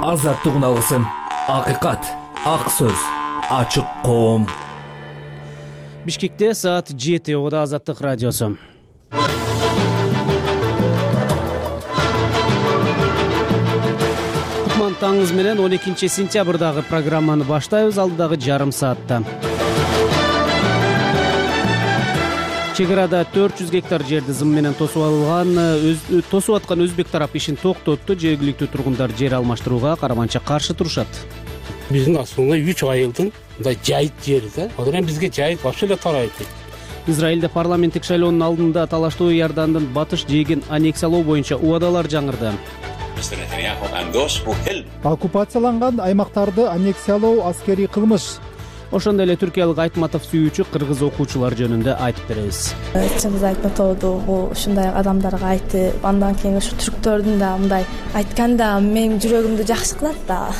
азаттык уналысын. Акыйкат, ак сөз, ачык коом. Бишкекте саат 7 Ода Азаттык радиосу. Кутман таңыңыз менен 12 сентябрдагы программаны баштайбыз. Алдыдагы жарым саатта чек арада 400 гектар жерди зым менен тосуп аткан өзбек тарап ишин токтотту. Жергиликтүү тургундар жер алмаштырууга караманча каршы турушат. Биздин асылында 3 айылдын мындай жайыт жери да. Анан бизге жайыт вообще эле тарайт. Израилде парламенттик шайлоонун алдында талаштуу Иордандын батыш жээгин аннексиялоо боюнча убадалар жаңырды. Оккупацияланган аймактарды аннексиялоо аскерий кылмыш. Ошондой эле түркиялык Айтматов сүйүүчү кыргыз окуучулар жөнүндө айтып беребиз. Чыңгыз Айтматовду бул ушундай адамдарга айтып, андан кийин ушу түрктөрдүн да мындай айтканда менин жүрөгүмдү жакшы кылат да.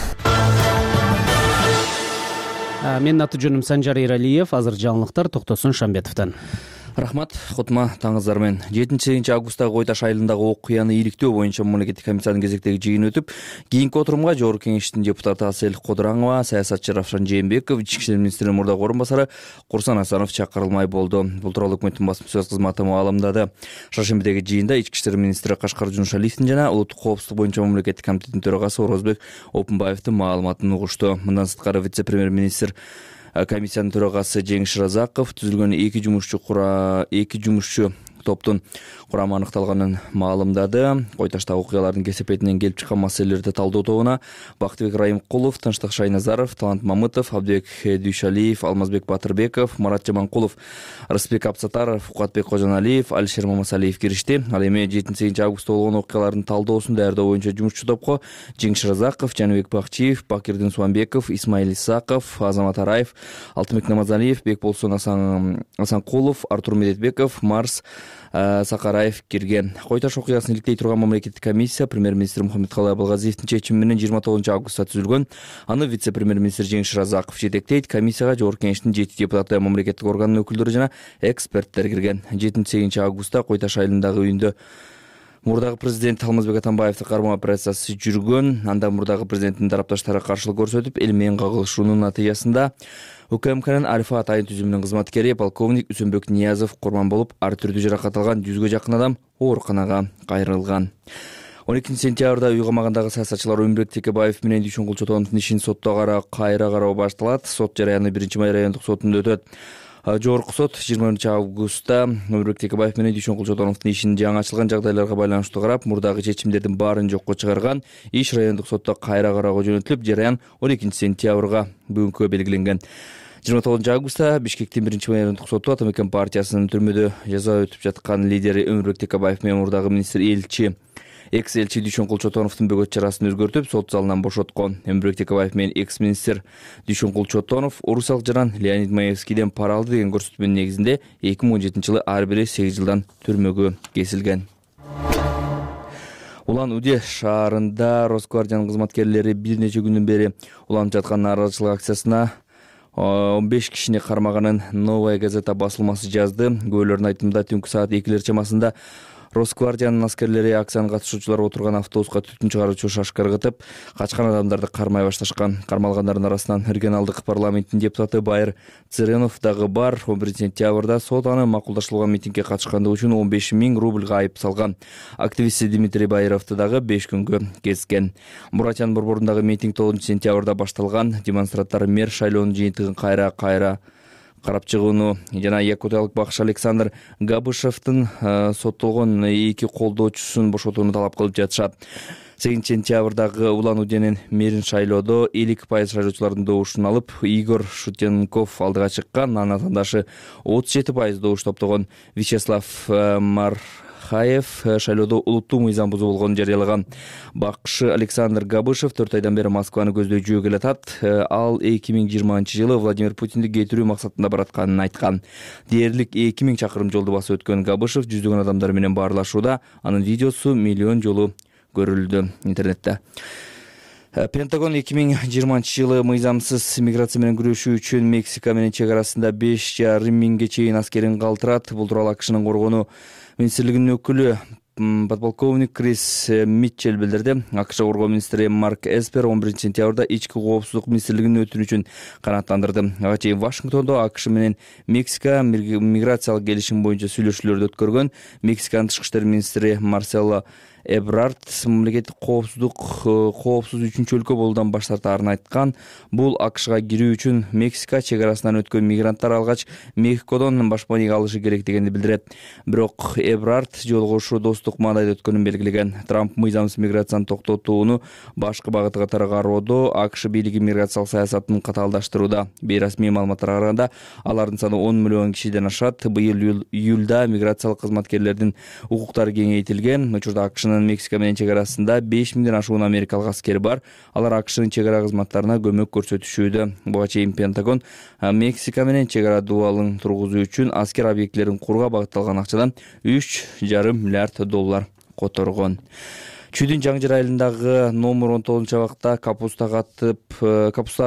Менин аты жөнүм Санжар Эралиев. Азыр жаңылыктар Токтосун Шамбетовдон. Рахмат, кутма таңыңыздар менен. 7 августтагы Кой Таш айылындагы окуяны ийриктөө боюнча мамлекеттик комиссиянын кезектеги жыйыны өтүп, кийинки отурумга Жогорку Кеңештин депутаты Асель Кодураңова, саясатчы Равшан Жээнбеков, Ички иштер министринин мурдагы орун басары Курсан Асанов чакырылмай болду. Бул тууралуу өкмөттүн басма сөз кызматы маалымдады. Шаршембидеги жыйында Ички иштер министри Кашкар Жунушалиевдин жана улуттук коопсуздук боюнча мамлекеттик комитеттин төрагасы Орозбек Опунбаевдин маалыматын угушту. Мындан сырткары вице-премьер-министр комиссиянын төрагасы Жеңиш Разаков түзүлгөн 2 жумушчу топтун курамы аныкталганын маалымдады. Кой Таштагы окуялардын кесепетинен келип чыккан маселелерди талдоо тобуна Бактыбек Райымкулов, Тынчтык Шайназаров, Талант Мамытов, Абдыбек Дүйшалиев, Алмазбек Батырбеков, Марат Жаманкулов, Рысбек Абсатаров, Фукатбек Кожоналиев, Алишер Мамасалиев киришти. Ал эми 7 августта болгон окуялардын талдоосун даярдоо боюнча жумушчу топко Жеңиш Разаков, Жаныбек Бакчиев, Бакирдин Суанбеков, Исмаил Исаков, Азамат Араев, Алтынбек Намазалиев, Бекболсун Асанкулов, Артур Медетбеков, Марс Сакараев кирген. Кой Таш окуясын иликтей турган мамлекеттик комиссия премьер-министр Мухаммедкалый Абылгазиевдин чечими менен 29 августта түзүлгөн. Аны вице-премьер-министр Жеңиш Разаков жетектейт. Комиссияга Жогорку Кеңештин 7 депутаты, мамлекеттик органдын өкүлдөрү жана эксперттер кирген. 7 августта Кой Таш айылындагы үйүндө мурдагы президент Алмазбек Атамбаевдин кармоо операциясы жүргөн. Анда мурдагы президенттин тарапташтары каршылык көрсөтүп, эл менен кагылышуунун натыйжасында УКМКнын Альфа атайын түзүмүнүн кызматкери полковник Үсөнбек Ниязов курман болуп, ар түрдүү жаракат алган 100гө жакын адам ооруканага кайрылган. 12 сентябрда үй камагындагы саясатчылар Өмүрбек Текебаев менен Дүйшөн Кулчотоновдун ишин сотто кайра кароо башталат. Сот жарыяны 1-Май райондук сотунда өтөт. Жогорку сот 20 августта Өмүрбек Текебаев менен Дүйшөн Кулчотоновдун ишин жаңы ачылган жагдайларга байланыштуу карап, мурдагы чечимдердин баарын жокко чыгарган. Иш райондук сотто кайра кароого жөнөтүлүп, жарыян 12 сентябрга бүгүнкү белгиленген. 29 августта Бишкектин 1-Май райондук соту Атамекен партиясынын түрмөдө жаза өтүп жаткан лидери Өмүрбек Текебаев менен мурдагы министр экс-элчи Дүйшөн Кулчотоновдун бөгөт чарасын өзгөртүп, сот залынан бошоткон. Өмүрбек Текебаев менен экс-министр Дүйшөн Кулчотонов орусиялык жаран Леонид Маевскийден пара алды деген көрсөтмөнүн негизинде 2017-жылы ар бири 8 жылдан түрмөгө кесилген. Улан-Удэ шаарында Росквардиянын кызматкерлери бир нече күндөн бери уланып жаткан нааразычылык акциясына 15 кишини кармаганын Новая газета басылмасы жазды. Күбөлөрдүн айтымында түнкү саат 2 чамасында Росквардиянын аскерлери акциянын катышуучулары отурган автобуска түтүн чыгаруучу шашка ыргытып, качкан адамдарды кармай башташкан. Кармалгандардын арасынан регионалдык парламенттин депутаты Байыр Цыренов дагы бар. 11 сентябрда сот аны макулдаштырылган митингге катышкандыгы үчүн 15 000 рубльга айып салган. Активист Дмитрий Байыровду дагы 5 күнгө кезген. Буратян борборундагы митинг 9 сентябрда башталган. Демонстранттар мэр шайлоонун жыйынтыгын кайра карап чыгууну жана якутиялык бакшы Александр Габышевдин соттолгон 2 колдоочусун бошотууну талап кылып жатышат. 8 сентябрдагы Улан-Удэнин мэрин шайлоодо 50% шайлоочулардын добушун алып, Игорь Шутенков алдыга чыккан. Анын атаандашы 37% добуш топтогон Вячеслав Мархаев шайлоодо улуттуу мыйзам бузуу болгонун жарыялаган. Бакшы Александр Габышев 4 айдан бери Москваны көздөй жүрүп атат. Ал 2020-жылы Владимир Путинди кетирүү максатында баратканын айткан. Дээрлик 2000 чакырым жолду басып өткөн Габышев жүздөгөн адамдар менен баарлашууда. Анын видеосу миллион жолу көрүлдү интернетте. Пентагон 2020-жылы мыйзамсыз миграция менен күрөшүү үчүн Мексика менен чек арасында 5,5 миңге чейин аскерин калтырат. Бул тууралуу АКШнын коргонуу министрлигинин өкүлү подполковник Крис Митчелл билдирди. АКШ коргоо министри Марк Эспер 11 сентябрда ички коопсуздук министрлигинин өтүнүчүн канааттандырды. Ага чейин Вашингтондо АКШ менен Мексика миграциялык келишим боюнча сүйлөшүүлөрдү өткөргөн. Мексиканын тышкы иштер министри Марсело Эбрард мамлекеттик коопсуз үчүнчү өлкө болуудан баш тартаарын айткан. Бул АКШга кирүү үчүн Мексика чек арасынан өткөн мигранттар алгач Мехикодон башпаник алышы керек дегенди билдирет. Бирок Эбрард жолугушуу достук маанайда өткөнүн белгилеген. Трамп мыйзамсыз миграцияны токтотууну башкы багыты катары кароодо АКШ бийлиги миграциялык саясатын катаалдаштырууда. Бейрасмий маалыматтарга караганда, алардын саны 10 миллион кишиден ашат. Быйыл июлда миграциялык кызматкерлердин укуктары кеңейтилген. Учурда АКШнын Мексика менен чек арасында 5000ден ашуун америкалык аскер бар. Алар АКШнын чек ара кызматтарына көмөк көрсөтүшүүдө. Буга чейин Пентагон Мексика менен чек ара дубалын тургузуу үчүн аскер объектилерин курууга багытталган акчадан $3,5 миллиард которгон. Чүйдүн Жаңжыр айылындагы номер 19-абакта капустага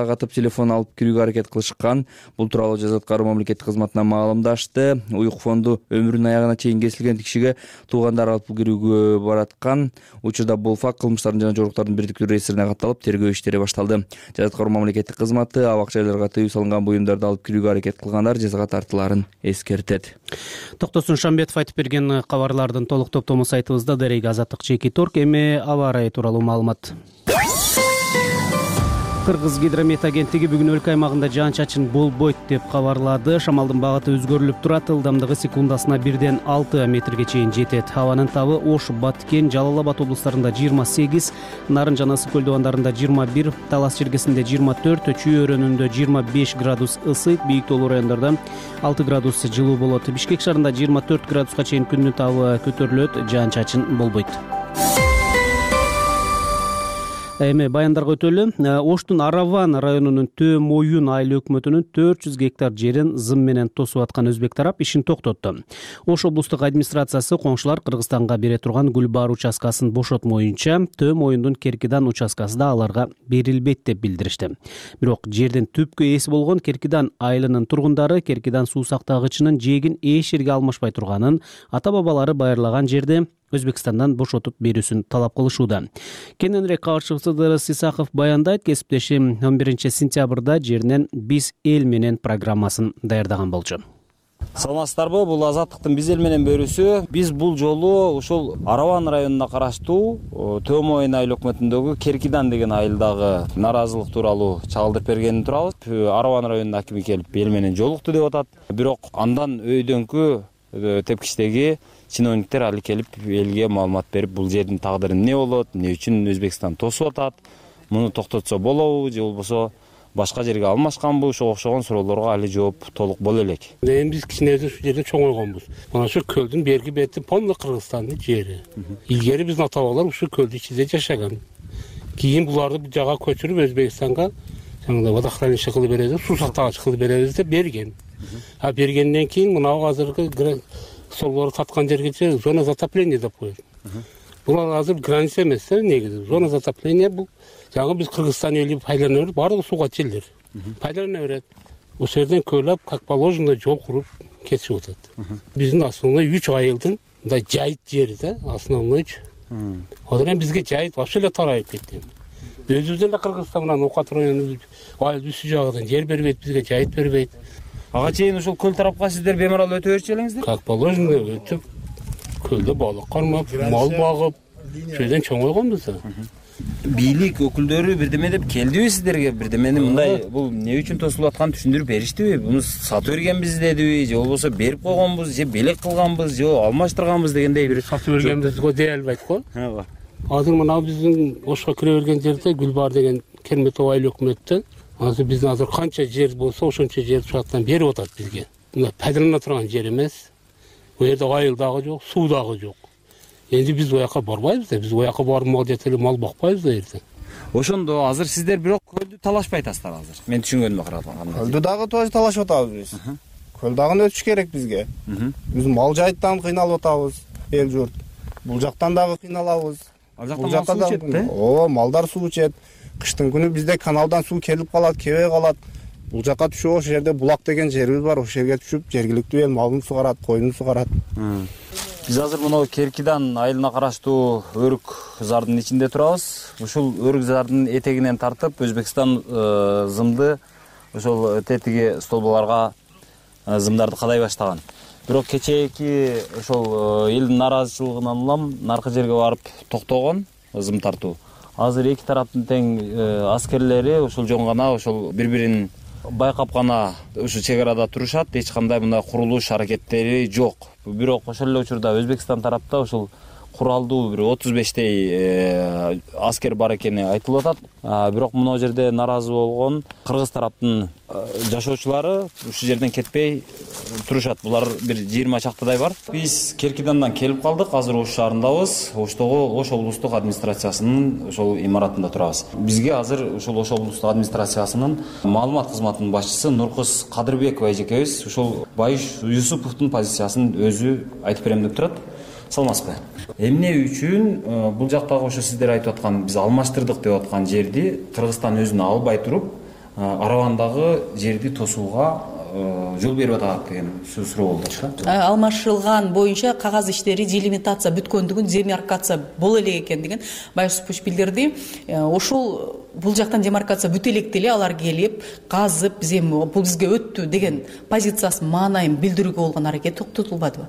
катып телефон алып кирүүгө аракет кылышкан. Бул тууралуу Жаза аткаруу мамлекеттик кызматына маалымдашты. Уюк фонду өмүрүнүн аягына чейин кесилген кишиге туугандар алып кирүүгө бараткан. Учурда бул факт кылмыштардын жана жоруктардын бирдиктүү реестрине катталып, тергөө иштери башталды. Жаза аткаруу мамлекеттик кызматы абак жайларга тыюу салынган буюмдарды алып кирүүгө аракет кылгандар жазага тартылаарын эскертет. Токтосун Шамбетов айтып берген кабарлардын толук топтому сайтыбызда Дарек Азаттык Чеки Торг. Эми аба ырайы тууралуу маалымат. Кыргыз гидромет агенттиги бүгүн өлкө аймагында жаан-чачын болбойт деп кабарлады. Шамалдын багыты өзгөрүлүп турат. Ылдамдыгы секундасына 1-6 метрге чейин жетет. Абанын табы Ош, Баткен, Жалал Абад облустарында 28, Нарын жана Ысык көл дубандарында 21, Талас чиркесинде 24, Чүй өрөөнүндө 25 градус ысыйт, бийик тоолуу райондордо 6 градус жылуу болот. Бишкек шаарында 24 градуска чейин күндүн табы көтөрүлөт, жаан-чачын болбойт. Эми баяндарга өтөлү. Оштун Араван районунун Төө Моюн айыл өкмөтүнүн 400 гектар жерин зым менен тосуп аткан өзбек тарап ишин токтотту. Ош облустук администрациясы коңшулар Кыргызстанга бере турган Гүлбаар участкасын бошотмоюнча Төө Моюндун Керкидан участкасы да аларга берилбейт деп билдиришти. Бирок жердин түпкү ээси болгон Керкидан айылынын тургундары Керкидан суу сактагычынын жээгин эч жерге алмашпай турганын, ата-бабалары байырлаган жерди Өзбекстандан бошотуп берүүсүн талап кылышууда. Кененирээк кабарчыбыз Ыдырыс Исаков баяндайт. Кесиптешим 11 сентябрда жеринен биз эл менен программасын даярдаган болчу. Саламатсыздарбы? Бул Азаттыктын биз эл менен берүүсү. Биз бул жолу ушул Араван районуна караштуу Төө Моюн айыл өкмөтүндөгү Керкидан деген айылдагы наразылык тууралуу чагылдырып бергенин турабыз. Араван районунун акими келип эл менен жолукту деп атат. Бирок андан өйдөнкү тепкичтеги чиновниктер али келип элге маалымат берип, бул жердин тагдыры эмне болот, эмне үчүн Өзбекстан тосуп атат, муну токтотсо болобу же болбосо башка жерге алмашканбы, ошого окшогон суроолорго али жооп толук боло элек. Эми биз кичинебиз ушул жерде чоңойгонбуз. Мына ушул көлдүн берки бети полный Кыргызстандын жери. Илгери биздин ата-бабалар ушул көлдүн ичинде жашаган. Кийин буларды бул жага көчүрүп Өзбекстанга жаңында водохранилище кылып беребиз, суу сактагыч кылып беребиз деп берген. А бергенден кийин мына азыркы солору таткан жерге зона затопления деп коет. Бул азыр граница эмес, негизи. Зона затопления бул жаңы биз Кыргызстан эли пайдалана берип, баардыгы сууга жерлер. Пайдалана берет. Ошол жерден көйлөп, как положено, жол куруп кетип атат. Биздин основной 3 айылдын мындай жайыт жери да, основной. Одан бизге жайыт вообще эле тарайып кетти. Өзүбүз эле Кыргызстан менен Окат районунун айыл үстү жагынан жер бербейт, бизге жайыт бербейт. Ага чейин ушул көл тарапка сиздер бемарал өтө берчү элеңиздер? Как положено өтүп, көлдө балык кармап, мал багып, шойдон чоңойгонбуз. Бийлик өкүлдөрү бирдеме деп келдиби сиздерге? Бирдемени мындай бул эмне үчүн тосулуп атканын түшүндүрүп бериштиби? Буну сатып бергенбиз дедиби, же болбосо берип койгонбуз, же белек кылганбыз, же алмаштырганбыз дегендей бир сатып бергенбизди дей албайт го. Азыр мына биздин Ошко кире берген жерде Гүлбаар деген Керметов айыл өкмөттө азыр биздин азыр канча жер болсо ошончо жер шаттан берип атат бизге. Мына пайдалана турган жер эмес. Бул жерде айыл дагы жок, суу дагы жок. Энди биз ояка барбайбыз да, биз ояка барып мал жетели мал бакпайбыз да эртең. Ошондо азыр сиздер бирок көлдү талашпай атасыздар азыр. Мен түшүнгөнүмө караганда. Көлдү дагы тоже талашып атабыз биз. Көл дагы өтүш керек бизге. Биз мал жайыттан кыйналып атабыз, эл журт. Бул жактан дагы кыйналабыз. Бул жакта мал суу ичет да? Ооба, малдар суу ичет. Кыштын күнү бизде каналдан суу келип калат, кебей калат. Бул жакка түшүп, ошол жерде булак деген жерибиз бар, ошол жерге түшүп, жергиликтүү эл малын сугарат, коюнун сугарат. Биз азыр мына Керкидан айылына караштуу Өрүк зардын ичинде турабыз. Ушул Өрүк зардын этегинен тартып Өзбекстан зымды ошол тетиги столболорго зымдарды кадай баштаган. Бирок кечээки ошол элдин нааразычылыгынан улам наркы жерге барып токтогон зым тартуу. Азыр эки тараптын тең аскерлери ошол жөн гана ошол бири-бирин байкап гана ушу чек арада турушат. Эч кандай мындай курулуш аракеттери жок. Бирок ошол эле учурда Өзбекстан тарапта ошол куралдуу бир 35 аскер бар экени айтылып атат. Бирок мына жерде нааразы болгон кыргыз тараптын жашоочулары ушул жерден кетпей турушат. Булар бир 20 чактадай бар. Биз Керкидандан келип калдык. Азыр Ош шаарындабыз. Оштогу Ош облустук администрациясынын ошол имаратында турабыз. Бизге азыр ошол Ош облустук администрациясынын маалымат кызматынын башчысы Нуркыз Кадырбекова эжекебиз ушол Байыш Юсуповдун позициясын өзү айтып берем деп турат. Саламатсызбы? Эмне үчүн бул жактагы ошо сиздер айтып аткан биз алмаштырдык деп аткан жерди Кыргызстан өзүнө албай туруп, Аравандагы жерди тосууга жол берип атат деген суроо болду. Алмашылган боюнча кагаз иштери делимитация бүткөндүгүн, демаркация боло элек экендигин Байыш Юсупович билдирди. Ошол бул жактан демаркация бүтө элек деле алар келип, казып, биз эми бул бизге өттү деген позициясын, маанайын билдирүүгө болгон аракет токтотулбадыбы?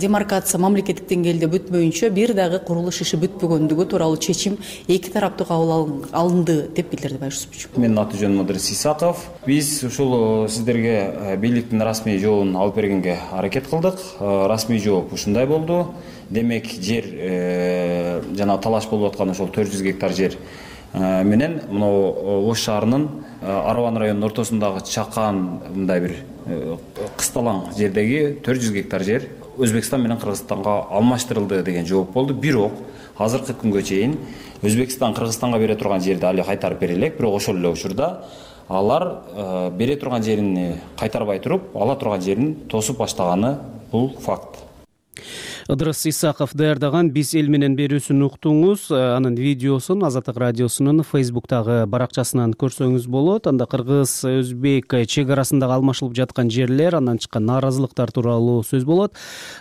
Демаркация мамлекеттик деңгээлде бүтпөйүнчө бир дагы курулуш иши бүтпөгөндүгү тууралуу чечим эки тараптуу кабыл алынды деп билдирди Байыш Юсупович. Менин аты жөнүм Мудрис Исаков. Биз ушул сиздерге бийликтин расмий жообун алып бергенге аракет кылдык. Расмий жооп ушундай болду. Демек жер жана талаш болуп аткан ошол 400 гектар жер менен мына Ош шаарынын Араван районунун ортосундагы чакан мындай бир кысталаң жердеги 400 гектар жер Өзбекстан менен Кыргызстанга алмаштырылды деген жооп болду. Бирок азыркы күнгө чейин Өзбекстан Кыргызстанга бере турган жерди али кайтарып бере элек, бирок ошол эле учурда алар бере турган жерин кайтарбай туруп, ала турган жерин тосуп баштаганы бул факт. Ыдырыс Исаков даярдаган «Биз эл менен» берүүсүн уктуңуз. Анын видеосун Азаттык радиосунун Facebook'тагы баракчасынан көрсөңүз болот. Анда кыргыз өзбек чек арасындагы алмашылып жаткан жерлер, андан чыккан нааразылыктар тууралуу сөз болот.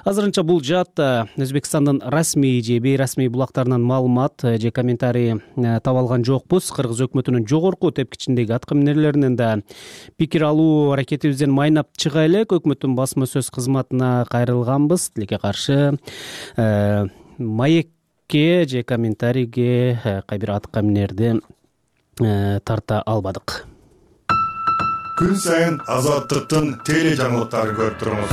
Азырынча бул жаатта Өзбекстандын расмий же бейрасмий булактарынан маалымат же комментарий таба алган жокпуз. Кыргыз өкмөтүнүн жогорку тепкичиндеги аткаминерлеринен да пикир алуу аракетибизден майнап чыга элек. Өкмөттүн басма сөз кызматына кайрылганбыз. Тилекке каршы маекке же комментарийге кайбир аткаминерди тарта албадык. Күн сайын Азаттыктын теле жаңылыктарын көрүп туруңуз.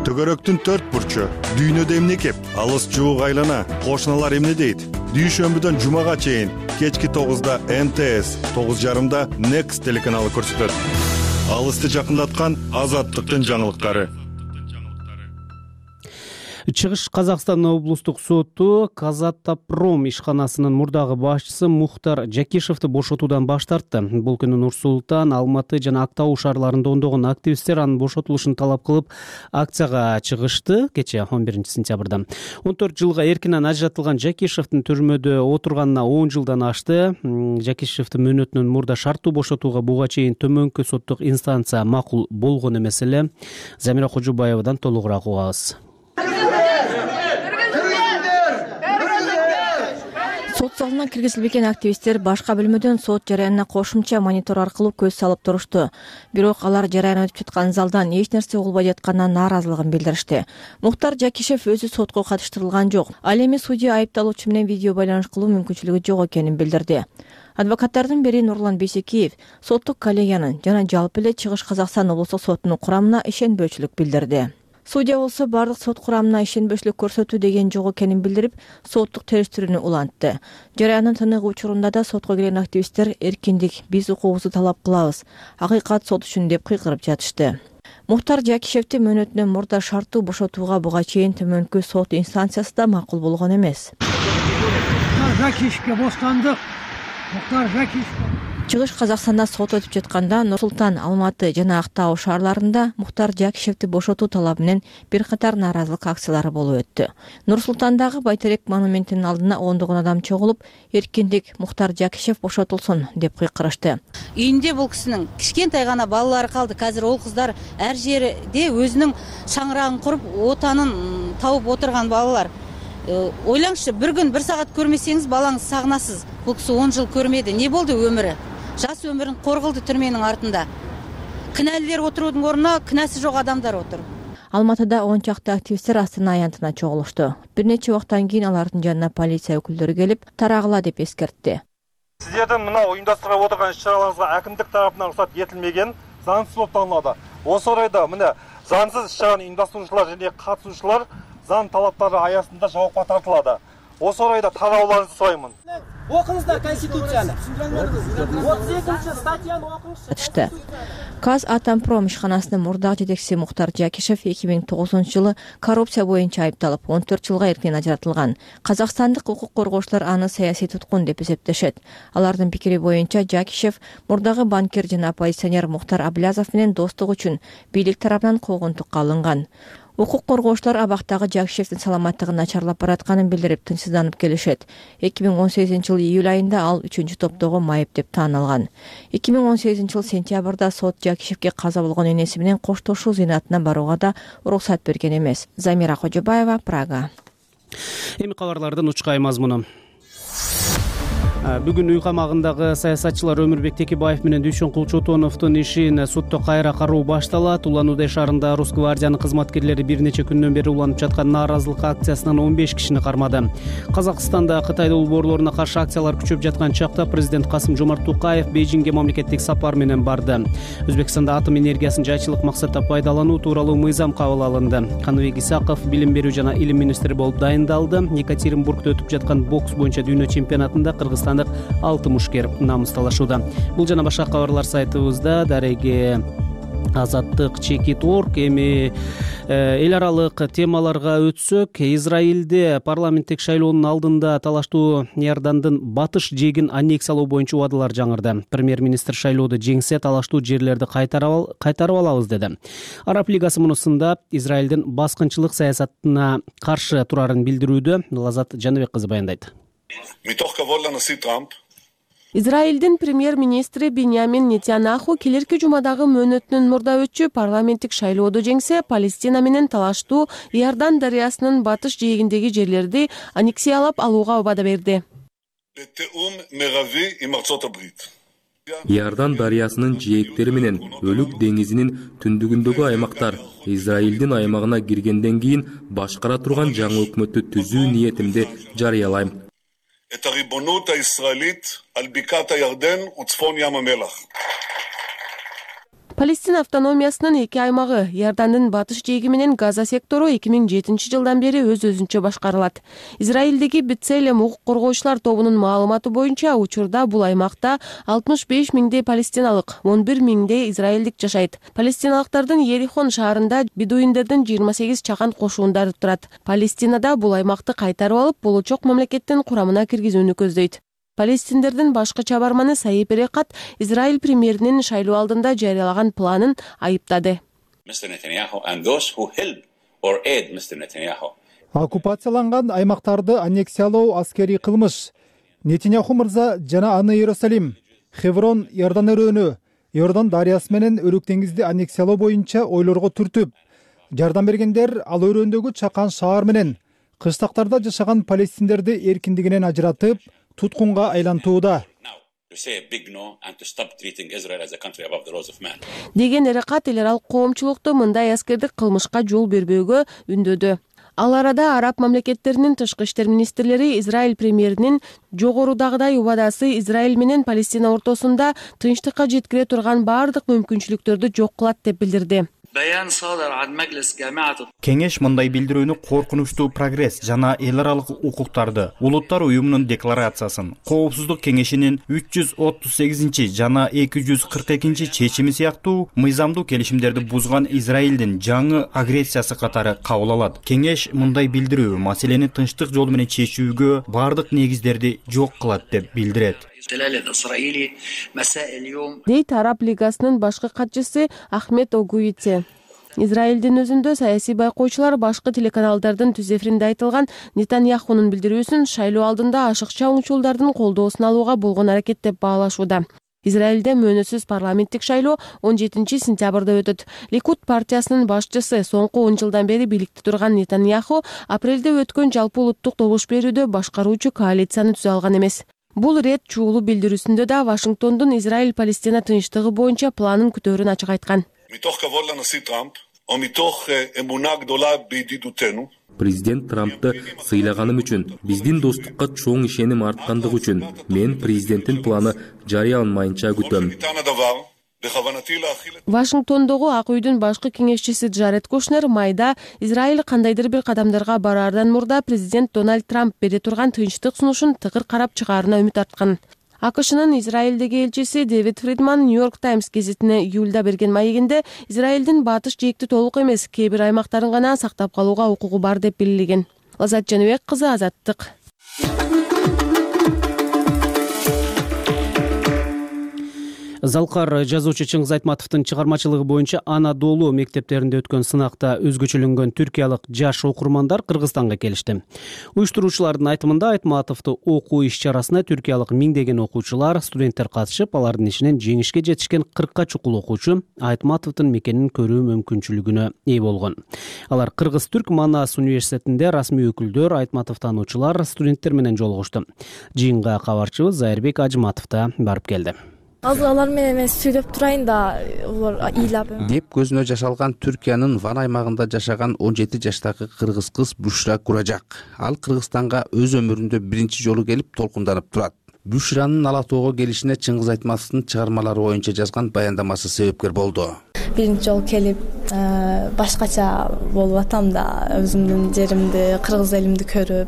Төгөрөктүн 4 бурчу, дүйнөдө эмне кеп, алыс жуук айлана, кошуналар эмне дейт? Дүйшөмбүдөн жумага чейин кечки 9-да МТС, 9:30-да Next телеканалы көрсөтөт. Алысты жакындаткан Азаттыктын жаңылыктары. Чыгыш Казакстан облустук соту Казатопром ишканасынын мурдагы башчысы Мухтар Жакишевди бошотуудан баш тартты. Бул күнү Нур Султан, Алматы жана Актау шаарларында ондогон активисттер анын бошотулушун талап кылып акцияга чыгышты кечээ 11 сентябрда. 14 жылга эркинен ажыратылган Жакишевдин түрмөдө отурганына 10 жылдан ашты. Жакишевдин мөөнөтүнөн мурда шарттуу бошотууга буга чейин төмөнкү соттук инстанция макул болгон эмес эле. Замира Кожубаевадан толугураак угабыз. Сот залына киргизилбеген активисттер башка бөлмөдөн сот жараянына кошумча монитор аркылуу көз салып турушту. Бирок алар жараян өтүп жаткан залдан эч нерсе угулбай жатканына нааразылыгын билдиришти. Мухтар Жакишев өзү сотко катыштырылган жок. Ал эми судья айыпталуучу менен видео байланыш кылуу мүмкүнчүлүгү жок экенин билдирди. Адвокаттардын бири Нурлан Бейсекиев соттук коллегиянын жана жалпы эле Чыгыш Казакстан облустук сотунун курамына ишенбөөчүлүк билдирди. Судья болсо бардык сот курамына ишенбөөчүлүк көрсөтүү деген жок экенин билдирип, соттук териштирүүнү улантты. Жараянын тыныгы учурунда да сотко келген активисттер эркиндик, биз укугубузду талап кылабыз, акыйкат сот үчүн деп кыйкырып жатышты. Мухтар Жакишевди мөөнөтүнөн мурда шарттуу бошотууга буга чейин төмөнкү сот инстанциясы да макул болгон эмес. Жакишевге бостандык, Мухтар Жакишев Чыгыш Казакстанда сот өтүп жатканда Нур Султан, Алматы жана Актау шаарларында Мухтар Жакишевди бошотуу талабы менен бир катар нааразылык акциялары болуп өттү. Нур Султандагы Байтерек монументинин алдына ондогон адам чогулуп, эркиндик Мухтар Жакишев бошотулсун деп кыйкырышты. Үйүндө бул кишинин кичкентай гана балалары калды. Азыр ол кыздар ар жерде өзүнүн шаңырагын куруп, отанын табып отурган балалар. Ойлаңызчы, bir күн bir саат көрмесеңиз балаңыз сагынасыз. Бул киши 10 жыл көрмөдү. Не болду өмүрү? Жас өмүрүн коргулду түрменин артында. Кінәлілер отуруудун ордуна кінәси жок адамдар отур. Алматыда 10 чакты активисттер Астана аянтына чогулушту. Бир нече убакыттан кийин алардын жанына полиция өкүлдөрү келип, тарагыла деп эскертти. Сиздердин мына уюмдаштырып отурган иш-чараларыңызга әкимдик тарапынан уруксат этилмеген, заңсыз болуп танылады. Осы орайда мына заңсыз иш-чараны уюмдаштыруучулар жана катышуучулар заң талаптары аясында жоопко тартылады. Осы орайда тарауларыңызды сураймын. Окуңуздар Конституцияны. 32-статьяны окуңуздар. Казатомпром ишканасынын мурдагы жетекчиси Мухтар Жакишев 2009-жылы коррупция боюнча айыпталып, 14 жылга эркинен ажыратылган. Казакстандык укук коргоочулар аны саясий туткун деп эсептешет. Алардын пикири боюнча Жакишев мурдагы банкир жана оппозиционер Мухтар Аблязов менен достук үчүн бийлик тарабынан куугунтукка алынган. Укук коргоочулар абактагы Жакишевдин саламаттыгы начарлап баратканын билдирип тынчсызданып келишет. 2018-жылы июль айында ал 3-топтогу майып деп таанылган. 2018-жыл сентябрда сот Жакишевге каза болгон энеси менен коштошуу зыйнатына барууга да уруксат берген эмес. Замира Кожобаева, Прага. Эми кабарлардын учкай мазмуну. Бүгүн үй камагындагы саясатчылар Өмүрбек Текебаев менен Дүйшөн Кулчотоновдун ишин сотто кайра кароо башталат. Улан-Удай шаарында Росгвардиянын кызматкерлери бир нече күндөн бери уланып жаткан нааразылык акциясынан 15 кишини кармады. Казакстанда Кытай долбоорлоруна каршы акциялар күчөп жаткан чакта президент Касым-Жомарт Токаев Бейжиңге мамлекеттик сапар менен барды. Өзбекстанда атом энергиясын жайчылык максатта пайдалануу тууралуу мыйзам кабыл алынды. Каныбек Исаков билим берүү жана илим министри болуп дайындалды. Екатеринбургда өтүп жаткан бокс боюнча дүйнө чемпионатында Кыргызстандык 6 мушкер намысталышууда. Бул жана башка кабарлар сайтыбызда. Дареге Азаттык Чекит.орг. Эми эл аралык темаларга өтсөк, Израилде парламенттик шайлоонун алдында талаштуу Иордандын батыш жээгин аннексиялоо боюнча убадалар жаңырды. Премьер-министр шайлоодо жеңсе талаштуу жерлерди кайтарып алабыз деди. Араб лигасы мунусунда Израилдин баскынчылык саясатына каршы турарын билдирүүдө. Лазат Жаныбек кызы баяндайт. Израилдин премьер-министри Биньямин Нетаньяху келерки жумадагы мөөнөтүнүн мурда парламенттик шайлоодо жеңсе, Палестина менен талаштуу Иордан дарыясынын батыш жээгиндеги жерлерди аннексиялап алууга убада берди. Иордан дарыясынын жээктери менен Өлүк деңизинин түндүгүндөгү аймактар Израилдин аймагына киргенден кийин башкара турган жаңы өкмөттү түзүү ниетимди жарыялайм. Палестина автономиясынын эки аймагы Иордандын батыш жээги менен Газа сектору 2007-жылдан бери өз-өзүнчө башкарылат. Израилдеги Бетселем укук коргоочулар тобунун маалыматы боюнча учурда бул аймакта 65 миңдей палестиналык, 11 миңдей израилдик жашайт. Палестиналыктардын Ерихон шаарында бедуиндердин 28 чакан кошуундары турат. Палестинада бул аймакты кайтарып алып, болочок мамлекеттин курамына киргизүүнү көздөйт. Палестиндердин башкы чабарманы Саип Эрекат Израиль премьеринин шайлоо алдында жарыялаган планын айыптады. Оккупацияланган аймактарды аннексиялоо аскерий кылмыш. Нетаньяху мырза жана аны Иерусалим, Хеврон, Иордан өрөөнү, Иордан дарыясы менен Өлүк деңизди аннексиялоо боюнча ойлорго түртүп, жардам бергендер ал өрөөндөгү чакан шаар менен кыштактарда жашаган палестиндерди эркиндигинен ажыратып, туткунга айлантууда деген Эрекат эл аралык коомчулукту мындай аскердик кылмышка жол бербөөгө үндөдү. Ал арада араб мамлекеттеринин тышкы иштер министрлери Израиль премьеринин жогорудагыдай убадасы Израиль менен Палестина ортосунда тынчтыкка жеткире турган баардык мүмкүнчүлүктөрдү жок кылат деп билдирди. Кеңеш мындай билдирүүнү коркунучтуу прогресс жана эл аралык укуктарды, улуттар уюмунун декларациясын, Коопсуздук кеңешинин 338 жана 242 чечими сыяктуу мыйзамдуу келишимдерди бузган Израилдин жаңы агрессиясы катары кабыл алат. Кеңеш мындай билдирүү маселени тынчтык жолу менен чечүүгө баардык негиздерди жок кылат деп билдирет. дейт Араб лигасынын башкы катчысы Ахмед Огуице. Израилдин өзүндө саясий байкоочулар башкы телеканалдардын түз эфиринде айтылган Нетаньяхунун билдирүүсүн шайлоо алдында ашыкча уңчулдардын колдоосун алууга болгон аракет деп баалашууда. Израилде мөөнөтсүз парламенттик шайлоо 17 сентябрда өтөт. Ликуд партиясынын башчысы соңку 10 жылдан бери бийликте турган Нетаньяху апрелде өткөн жалпы улуттук добуш берүүдө башкаруучу коалицияны түзө алган эмес. Бул рет чуулуу билдирүүсүндө да Вашингтондун Израиль-Палестина тынчтыгы боюнча планын күтөөрүн ачык айткан. Президент Трампты сыйлаганым үчүн, биздин достукка чоң ишеним арткандыгы үчүн мен президенттин планы жарыяланмайынча күтөм. Вашингтондогу Ак үйдүн башкы кеңешчиси Джаред Кушнер майда Израиль кандайдыр бир кадамдарга бараардан мурда президент Дональд Трамп бере турган тынчтык сунушун тыгыр карап чыгаарына үмүт арткан. АКШнын Израилдеги элчиси Дэвид Фридман Нью-Йорк Таймс гезитине июлда берген маегинде Израилдин батыш жээкти толук эмес, кээ бир аймактарын гана сактап калууга укугу бар деп белгилеген. Лазат Жаныбек кызы, Азаттык. Залкар жазуучу Чыңгыз Айтматовдун чыгармачылыгы боюнча Анадолу мектептеринде өткөн сынакта өзгөчөлөнгөн түркиялык жаш окурмандар Кыргызстанга келишти. Уюштуруучулардын айтымында Айтматовду окуу иш-чарасына түркиялык миңдеген окуучулар, студенттер катышып, алардын ичинен жеңишке жетишкен 40 чукул окуучу Айтматовдун мекенин көрүү мүмкүнчүлүгүнө ээ болгон. Алар Кыргыз-Түрк Манас университетинде расмий өкүлдөр, Айтматов таануучулар, студенттер менен жолугушту. Жыйынга кабарчыбыз Зайырбек Ажыматов да барып келди. Азыр алар менен мен сүйлөп турайын да, улар ыйлап деп көзүнө жаш алган Түркиянын Ван аймагында жашаган 17 жаштагы кыргыз кыз Бушра Куражак. Ал Кыргызстанга өз өмүрүндө биринчи жолу келип толкунданып турат. Бушранын Ала тоого келишине Чыңгыз Айтматовдун чыгармалары боюнча жазган баяндамасы себепкер болду. Биринчи жолу келип башкача болуп атам да, өзүмдүн жеримди, кыргыз элимди көрүп,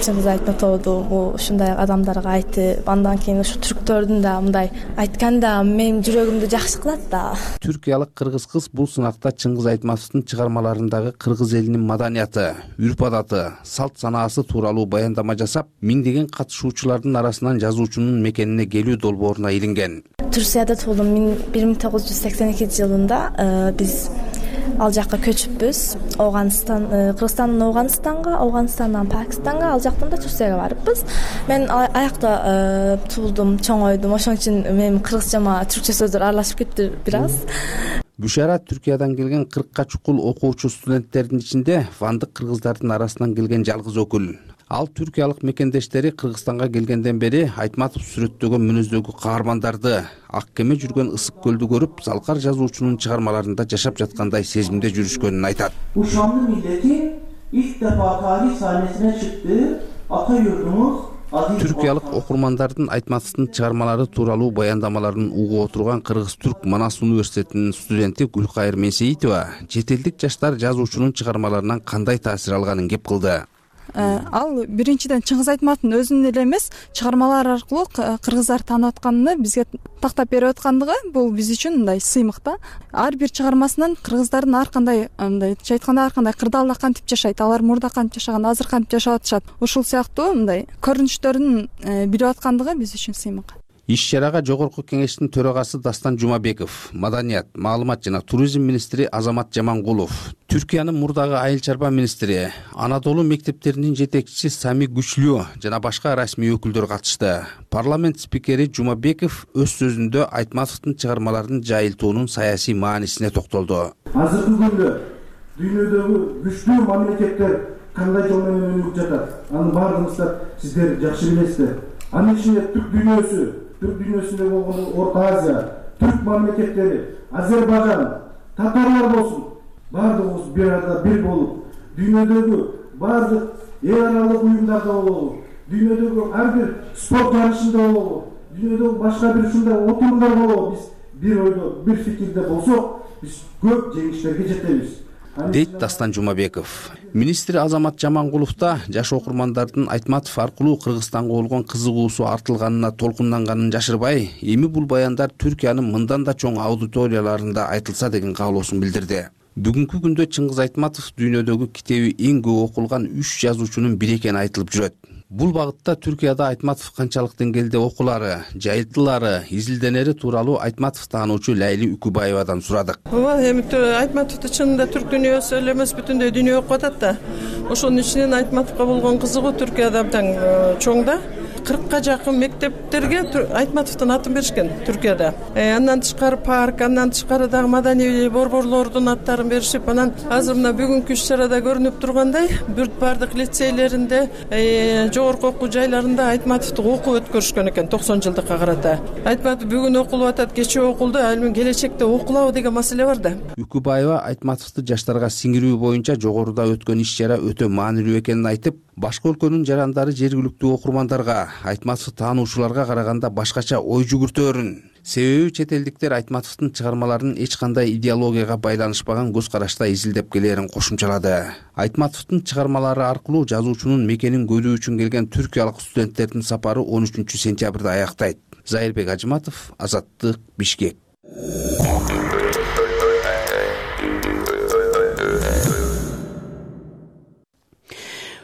Чыңгыз Айтматовду ушундай адамдарга айтып, андан кийин ушу түрктөрдүн да мындай айтканда менин жүрөгүмдү жакшы кылат да. Түркиялык кыргыз кыз бул сынакта Чыңгыз Айтматовдун чыгармаларындагы кыргыз элинин маданияты, үрп-адаты, салт санаасы тууралуу баяндама жасап, миңдеген катышуучулардын арасынан жазуучунун мекенине келүү долбооруна илинген. Турцияда туулдум. 1982 жылында биз ал жакка көчүппүз. Кыргызстандын Афганистандан Пакистанга, ал жактан да Турцияга барыппыз. Мен аякта туулдум, чоңойдум. Ошон үчүн менин кыргызчама түркчө сөздөр аралашып кетти бир аз. Бушара Түркиядан келген 40 чукул окуучу студенттердин ичинде вандык кыргыздардын арасынан келген жалгыз өкүл. Ал түркиялык мекендештери Кыргызстанга келгенден бери Айтматов сүрөттөгөн мүнөздөгү каармандарды, ак кеме жүргөн ысык көлдү көрүп, Залкар жазуучунун чыгармаларында жашап жаткандай сезимде жүрүшкөнүн айтат. Ушанды миллети ilk defa tarih sahnesine çıktı. Ata yurdumuz Түркиялык окурмандардын Айтматовдун чыгармалары тууралуу баяндамаларын угуп отурган Кыргыз-Түрк Манас университетинин студенти Гүлкайыр Менсеитова чет элдик жаштар жазуучунун чыгармаларынан кандай таасир алганын кеп кылды. Ал биринчиден Чыңгыз Айтматовдун өзүнүн эле эмес, чыгармалар аркылуу кыргыздар таанып атканын бизге тактап берип аткандыгы бул биз үчүн мындай сыймык да. Ар бир чыгармасынан кыргыздардын ар кандай мындайча айтканда ар кандай кырдаалда кантип жашайт, алар мурда кантип жашаган, азыр кантип жашап атышат. Ушул сыяктуу мындай көрүнүштөрүн билип аткандыгы биз үчүн сыймык. Иш-чарага Жогорку кеңештин төрагасы Дастан Жумабеков, Маданият, Маалымат жана туризм министри Азамат Жамангулов, Түркиянын мурдагы айыл чарба министри, Анадолу мектептеринин жетекчиси Сами Күчлүү жана башка расмий өкүлдөр катышты. Парламент спикери Жумабеков өз сөзүндө Айтматовдун чыгармаларын жайылтуунун саясий маанисине токтолду. Азыркы күндө дүйнөдөгү күчтүү мамлекеттер кандай жол менен өнүгүп жатат? Анын баардыгыңыздар сиздер жакшы билесиздер. Анын ичинде Türk dünyasında болгон Орта Азия, Türk мамлекеттери, Азербайжан, татарлар болсун, баардыгыбыз бир арада бир болуп, дүйнөдөгү баардык эл аралык уюмдарда болобу, дүйнөдөгү ар бир спорт жарышында болобу, дүйнөдөгү башка бир ушундай отурумдар болобу, биз бир ойдо, бир фикирде болсок, биз көп жеңиштерге жетебиз. Дейт Дастан Жумабеков. Министр Азамат Жамангулов да жаш окурмандардын Айтматов аркылуу Кыргызстанга болгон кызыгуусу артылганына толкунданганын жашырбай, эми бул баяндар Түркиянын мындан да чоң аудиторияларында айтылса деген каалоосун билдирди. Бүгүнкү күндө Чыңгыз Айтматов дүйнөдөгү китеби эң көп окулган 3 жазуучунун бири экени айтылып жүрөт. Бул багытта Түркияда Айтматов канчалык деңгээлде окулары, жайылтылары, изилденери тууралуу Айтматов таануучу Лейли Үкүбаевадан сурадык. Ооба, эми Айтматовду чынында түрк дүйнөсү эле эмес, бүтүндөй дүйнө окуп атат да. Ошонун ичинен Айтматовго болгон кызыгуу Түркияда абдан чоң да. 40ка жакын мектептерге Айтматовдун атын беришкен Түркияда. Андан тышкары парк, андан тышкары дагы маданий борборлордун аттарын беришип, анан азыр мына бүгүнкү иш-чарада көрүнүп тургандай, бардык лицейлеринде, жогорку окуу жайларында Айтматовду окуп өткөрүшкөн экен 90 жылдыкка карата. Айтматов бүгүн окулуп атат, кечээ окулду, ал эми келечекте окулабы деген маселе бар да. Үкүбаева Айтматовду жаштарга сиңирүү боюнча жогоруда өткөн иш-чара өтө маанилүү экенин айтып, башка өлкөнүн жарандары жергиликтүү окурмандарга, Айтматов таануучуларга караганда башкача ой жүгүртөөрүн. Себеби чет элдиктер Айтматовдун чыгармаларын эч кандай идеологияга байланышпаган көз карашта изилдеп келээрин кошумчалады. Айтматовдун чыгармалары аркылуу жазуучунун мекенин көрүү үчүн келген түркиялык студенттердин сапары 13 сентябрда аяктайт. Зайырбек Ажыматов, Азаттык, Бишкек.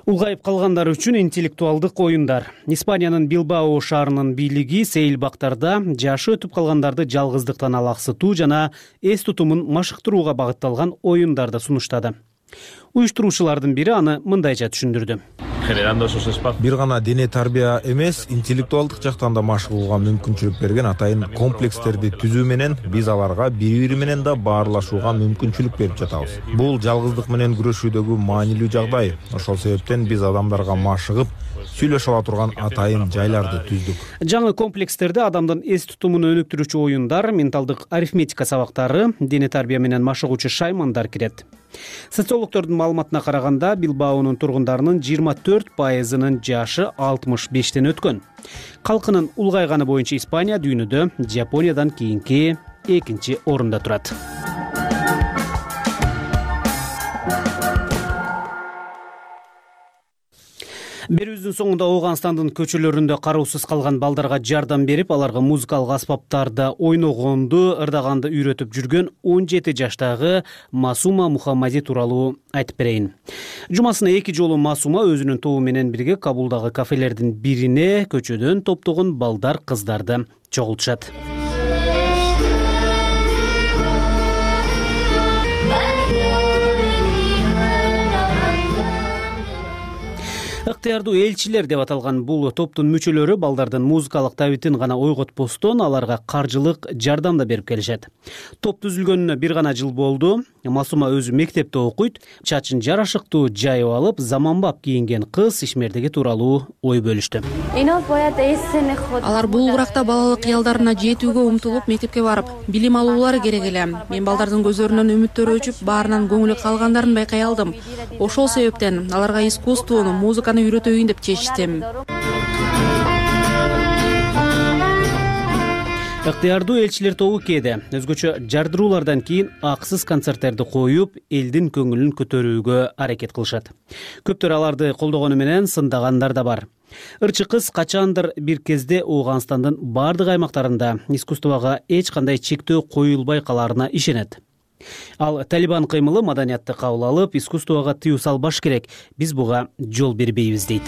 Улгайып калгандар үчүн интеллектуалдык оюндар. Испаниянын Билбао шаарынын бийлиги сейил бактарда жашы өтүп калгандарды жалгыздыктан алаксытуу жана эс тутумун машыктырууга багытталган оюндарды сунуштады. Уюштуруучулардын бири аны мындайча түшүндүрдү. Бир гана дене тарбия эмес, интеллектуалдык жактан да машыгууга мүмкүнчүлүк берген атайын комплекстерди түзүү менен биз аларга бири-бири менен да баарлашууга мүмкүнчүлүк берип жатабыз. Бул жалгыздык менен күрөшүүдөгү маанилүү жагдай. Ошол себептен биз адамдарга машыгып, сүйлөшө ала турган атайын жайларды түздүк. Жаңы комплекстерде адамдын эс тутумун өнүктүрүүчү оюндар, менталдык арифметика сабактары, дене тарбия менен машыгуучу шаймандар кирет. Социологдордун маалыматына караганда, Билбаонун тургундарынын 24%-нын жашы 65-тен өткөн. Калкынын улгайганы боюнча Испания дүйнөдө Жапониядан кийинки 2-чи орунда турат. Берүүбүздүн соңунда Ооганстандын көчөлөрүндө кароосуз калган балдарга жардам берип, аларга музыкалык аспаптарда ойногонду, ырдаганды үйрөтүп жүргөн 17 жаштагы Масума Мухаммади тууралуу айтып берейин. Жумасына 2 жолу Масума өзүнүн тобу менен бирге Кабулдагы кафелердин бирине көчөдөн топтогон балдар, кыздарды чогултушат. Ыктыярдуу элчилер деп аталган бул топтун мүчөлөрү балдардын музыкалык табитин гана ойготпостон аларга каржылык жардам да берип келишет. Топ түзүлгөнүнө бир гана жыл болду. Масума өзү мектепте окуйт, чачын жарашыктуу жайып алып, заманбап кийинген кыз ишмердиги тууралуу ой бөлүштү. Алар бул уракта балалык кыялдарына жетүүгө умтулуп мектепке барып, билим алуулары керек эле. Мен балдардын көзлөрүнөн үмүттөрү өчүп, баарынан көңүлү калгандарын байкай алдым. Ошол себептен аларга искусствону, музыканы үйрөтөйүн деп чечтим. Ыктыярдуу элчилер тобу кээде өзгөчө жардыруулардан кийин акысыз концерттерди коюп, элдин көңүлүн көтөрүүгө аракет кылышат. Көптөр аларды колдогону менен сындагандар да бар. Ырчы кыз качандыр бир кезде Ооганстандын бардык аймактарында искусствого эч кандай чектөө коюлбай каларына ишенет. Ал Талибан кыймылы маданиятты кабыл алып, искусствого тыюу салбаш керек. Биз буга жол бербейбиз дейт.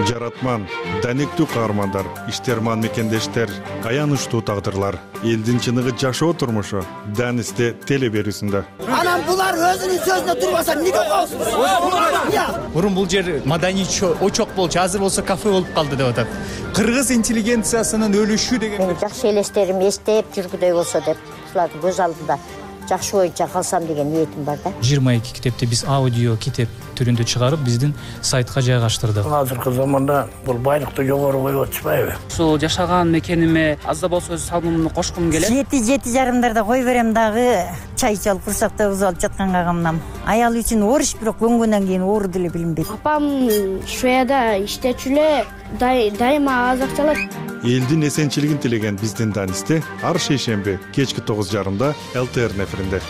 Жаратман, данектүү каармандар, иштерман мекендештер, аянычтуу тагдырлар, элдин чыныгы жашоо турмушу Данисте теле берүүсүндө. Анан булар өзүнүн сөзүнө турбаса эмнеге коосуз? Мурун бул жер маданий очок болчу, азыр болсо кафе болуп калды деп атат. Кыргыз интеллигенциясынын өлүшү деген. Мен жакшы элестерим эстеп жүргүдөй болсо деп, ушулардын көз алдында жакшы боюнча калсам деген ниетим бар да. 22 китепти биз аудио китеп түрүндө чыгарып, биздин сайтка жайгаштырдык. Азыркы заманда бул байлыкты жогору коюп атышпайбы? Ушул жашаган мекениме аз да болсо өз салымымды кошкум келет. 7:30-дарда кой берем дагы, чай ичип курсакта узалып жатканга камнам. Аял үчүн ооруш, бирок көнгөндөн кийин оору деле билинбейт. Апам Швецияда иштечү эле, дайыма аз акча алат. Элдин эсенчилигин тилеген биздин Данисте ар шейшемби кечки 9:30 ЛТР неферинде.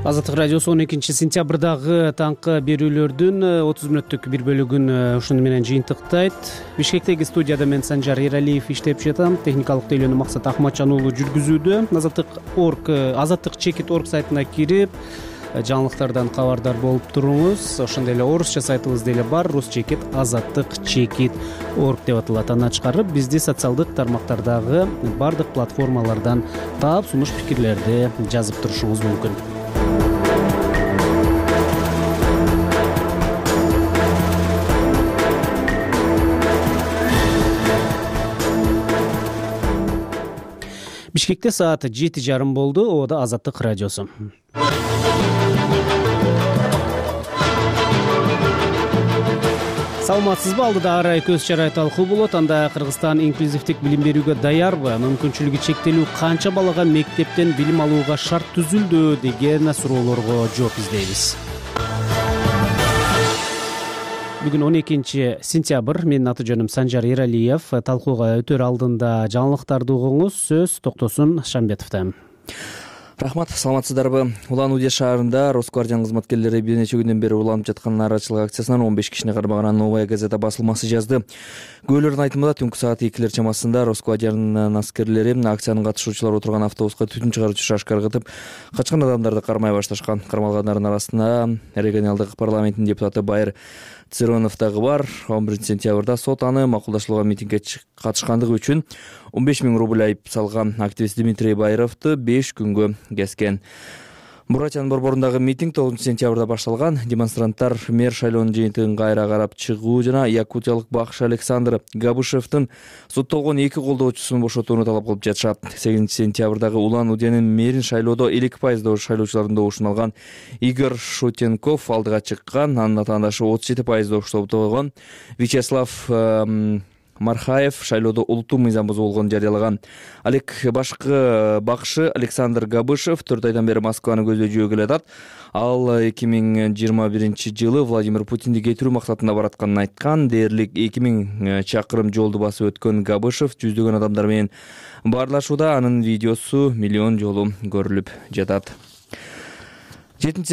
Азаттык радиосу 12 сентябрдагы таңкы берүүлөрдүн 30 мүнөттүк бир бөлүгүн ушуну менен жыйынтыктайт. Бишкектеги студияда мен Санжар Эралиев иштеп жатам. Техникалык тейлөөнү Максат Ахматжан уулу жүргүзүүдө. Азаттык чекит.org сайтына кирип жаңылыктардан кабардар болуп туруңуз. Ошондой эле орусча сайтыбыз деле бар. Рус чекит азаттык чекит.org деп аталат. Аны чыгарып, бизди социалдык тармактардагы бардык платформалардан таап, сунуш пикирлерди жазып турушуңуз мүмкүн. Бишкекте саат 7:30 болду. Ода Азаттык радиосу. Саламатсызбы? Алдыда арай көз чарай талкуу болот. Анда Кыргызстан инклюзивдик билим берүүгө даярбы? Мүмкүнчүлүгү чектелүү канча балага мектептен билим алууга шарт түзүлдү деген суроолорго жооп издейбиз. Бүгүн 12 сентябрь. Менин аты жөнүм Санжар Эралиев. Талкууга өтөр алдында жаңылыктарды угуңуз. Сөз Токтосун Шамбетовдон. Рахмат, саламатсыздарбы? Улан Удэ шаарында Росквардиянын кызматкерлери бир нече күндөн бери уланып жаткан нааразычылык акциясынан 15 кишини кармаган Новая газета басылмасы жазды. Күбөлөрдүн айтымында түнкү саат 2 чамасында Росквардиянын аскерлери акциянын катышуучулары отурган автобуска түтүн чыгаруучу шашка ыргытып, качкан адамдарды кармай башташкан. Кармалгандардын арасында регионалдык парламенттин депутаты Байыр Цыронов дагы бар. 11 сентябрда сот аны макулдаштырылган митингге катышкандыгы үчүн 15 000 рубль айып салган. Активист Дмитрий Байыровду 5 күнгө кезген. Буратиянын борборундагы митинг 9 сентябрда башталган. Демонстранттар мэр шайлоонун жыйынтыгын кайра карап чыгуу жана якутиялык бакшы Александр Габышевдин соттолгон 2 колдоочусун бошотууну талап кылып жатышат. 8 сентябрдагы Улан Удэнин мэрин шайлоодо 2% шайлоочулардын добушун алган Игорь Шутенков алдыга чыккан. Анын атаандашы 37% добушту болгон. Вячеслав Мархаев шайлоодо улуттуу мыйзам бузуу болгонун жарыялаган. Алек бакшы Александр Габышев 4 айдан бери Москваны көздөй жөө келатат. Ал 2021 жылы Владимир Путинди кетирүү максатында баратканын айткан. Дээрлик 2000 чакырым жолду басып өткөн Габышев жүздөгөн адамдар менен баарлашууда. Анын видеосу миллион жолу көрүлүп жатат. 7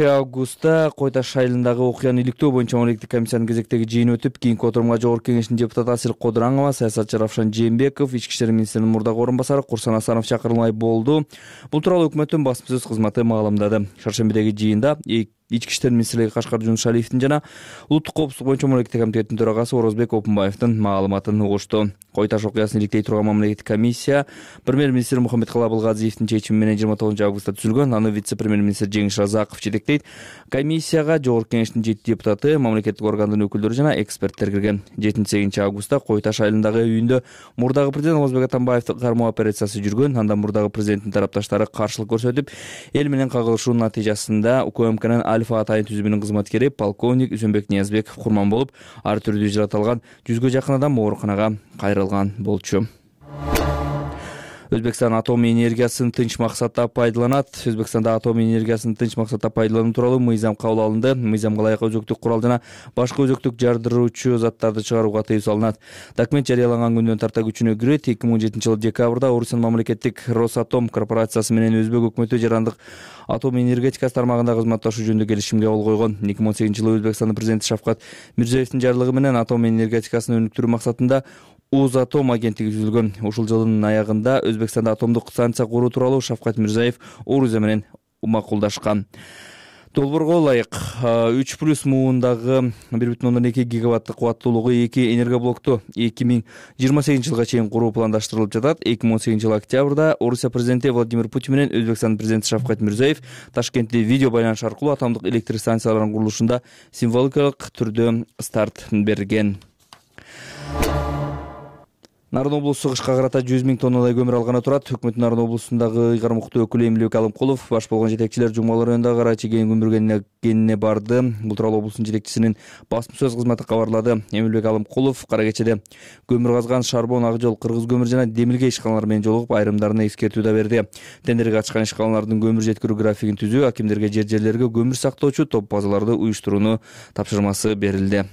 августта Кой Таш айылындагы окуяны иликтөө боюнча мамлекеттик комиссиянын кезектеги жыйыны өтүп, кийинки отурумга Жогорку Кеңештин депутаты Асил Кодураңова, саясатчы Равшан Жээнбеков, Ички иштер министринин мурдагы орун басары Курсан Асанов чакырылмай болду. Бул тууралуу өкмөттүн басма-сөз кызматы маалымдады. Шаршембидеги жыйында Ички иштер министрлиги Кашкар Жунушалиевдин жана улуттук коопсуздук боюнча мамлекеттик комитеттин төрагасы Орозбек Опунбаевдин маалыматын угушту. Кой Таш окуясын иликтей турган мамлекеттик комиссия премьер-министр Мухаммедкалый Абылгазиевдин чечими менен 29 августта түзүлгөн. Аны вице-премьер-министр Жеңиш Разаков жетектейт. Комиссияга Жогорку Кеңештин 7 депутаты, мамлекеттик органдын өкүлдөрү жана эксперттер кирген. 7 августта Кой Таш айылындагы үйүндө мурдагы президент Озбек Атамбаевди кармоо операциясы жүргөн. Анда мурдагы президенттин тарапташтары каршылык көрсөтүп, эл менен кагылышуунун натыйжасында УКМКнын Альфа атайын түзүмүнүн кызматкери полковник Үзөнбек Ниязбеков курман болуп, ар түрдүү жаратылган 100гө жакын адам ооруканага кайрылган болчу. Өзбекстан атом энергиясын тынч максатта пайдаланат. Өзбекстанда атом энергиясын тынч максатта пайдалануу тууралуу мыйзам кабыл алынды. Мыйзамга ылайык өзөктүк курал жана башка өзөктүк жардыруучу заттарды чыгарууга тыюу салынат. Документ жарыяланган күндөн тарта күчүнө кирет. 2017 жылы декабрда Орусиянын мамлекеттик Росатом корпорациясы менен Өзбек өкмөтү жарандык атом энергетикасы тармагында кызматташуу жөнүндө келишимге кол койгон. 2018 жылы Өзбекстандын президенти Шавкат Мирзиёевдин жарлыгы менен атом энергетикасын өнүктүрүү максатында Узатом агенттиги түзүлгөн. Ушул жылдын аягында Өзбекстанда атомдук станция куруу тууралуу Шавкат Мирзиёев Орусия менен макулдашкан. Долбоорго ылайык 3+ муундагы 1,2 гигаваттык кубаттуулугу 2 энергоблокту 2028 жылга чейин куруу пландаштырылып жатат. 2018 жылы октябрда Орусия президенти Владимир Путин менен Өзбекстандын президенти Шавкат Мирзиёев Ташкентте видео байланыш аркылуу атомдук электр станцияларынын курулушунда символикалык түрдө старт берген. Нарын облусу кышка карата 100 000 тоннадай көмүр алганы турат. Өкмөттүн Нарын облусундагы ыйгармыктуу өкүлү Эмилбек Алымкулов баш болгон жетекчилер Жумгал районундагы Кара Чегени көмүргенine барды. Бул тууралуу облустун жетекчисинин басма-сөз кызматы кабарлады. Эмилбек Алымкулов Кара Кечеде көмүр казган Шарбон, Ак жол, Кыргыз көмүр жана Демилге ишканалары менен жолугуп, айрымдарына эскертүү да берди. Тендерге катышкан ишканалардын көмүр жеткирүү графигин түзүү, акимдерге жерлерге көмүр сактоочу топ базаларды уюштурууну тапшырмасы берилди.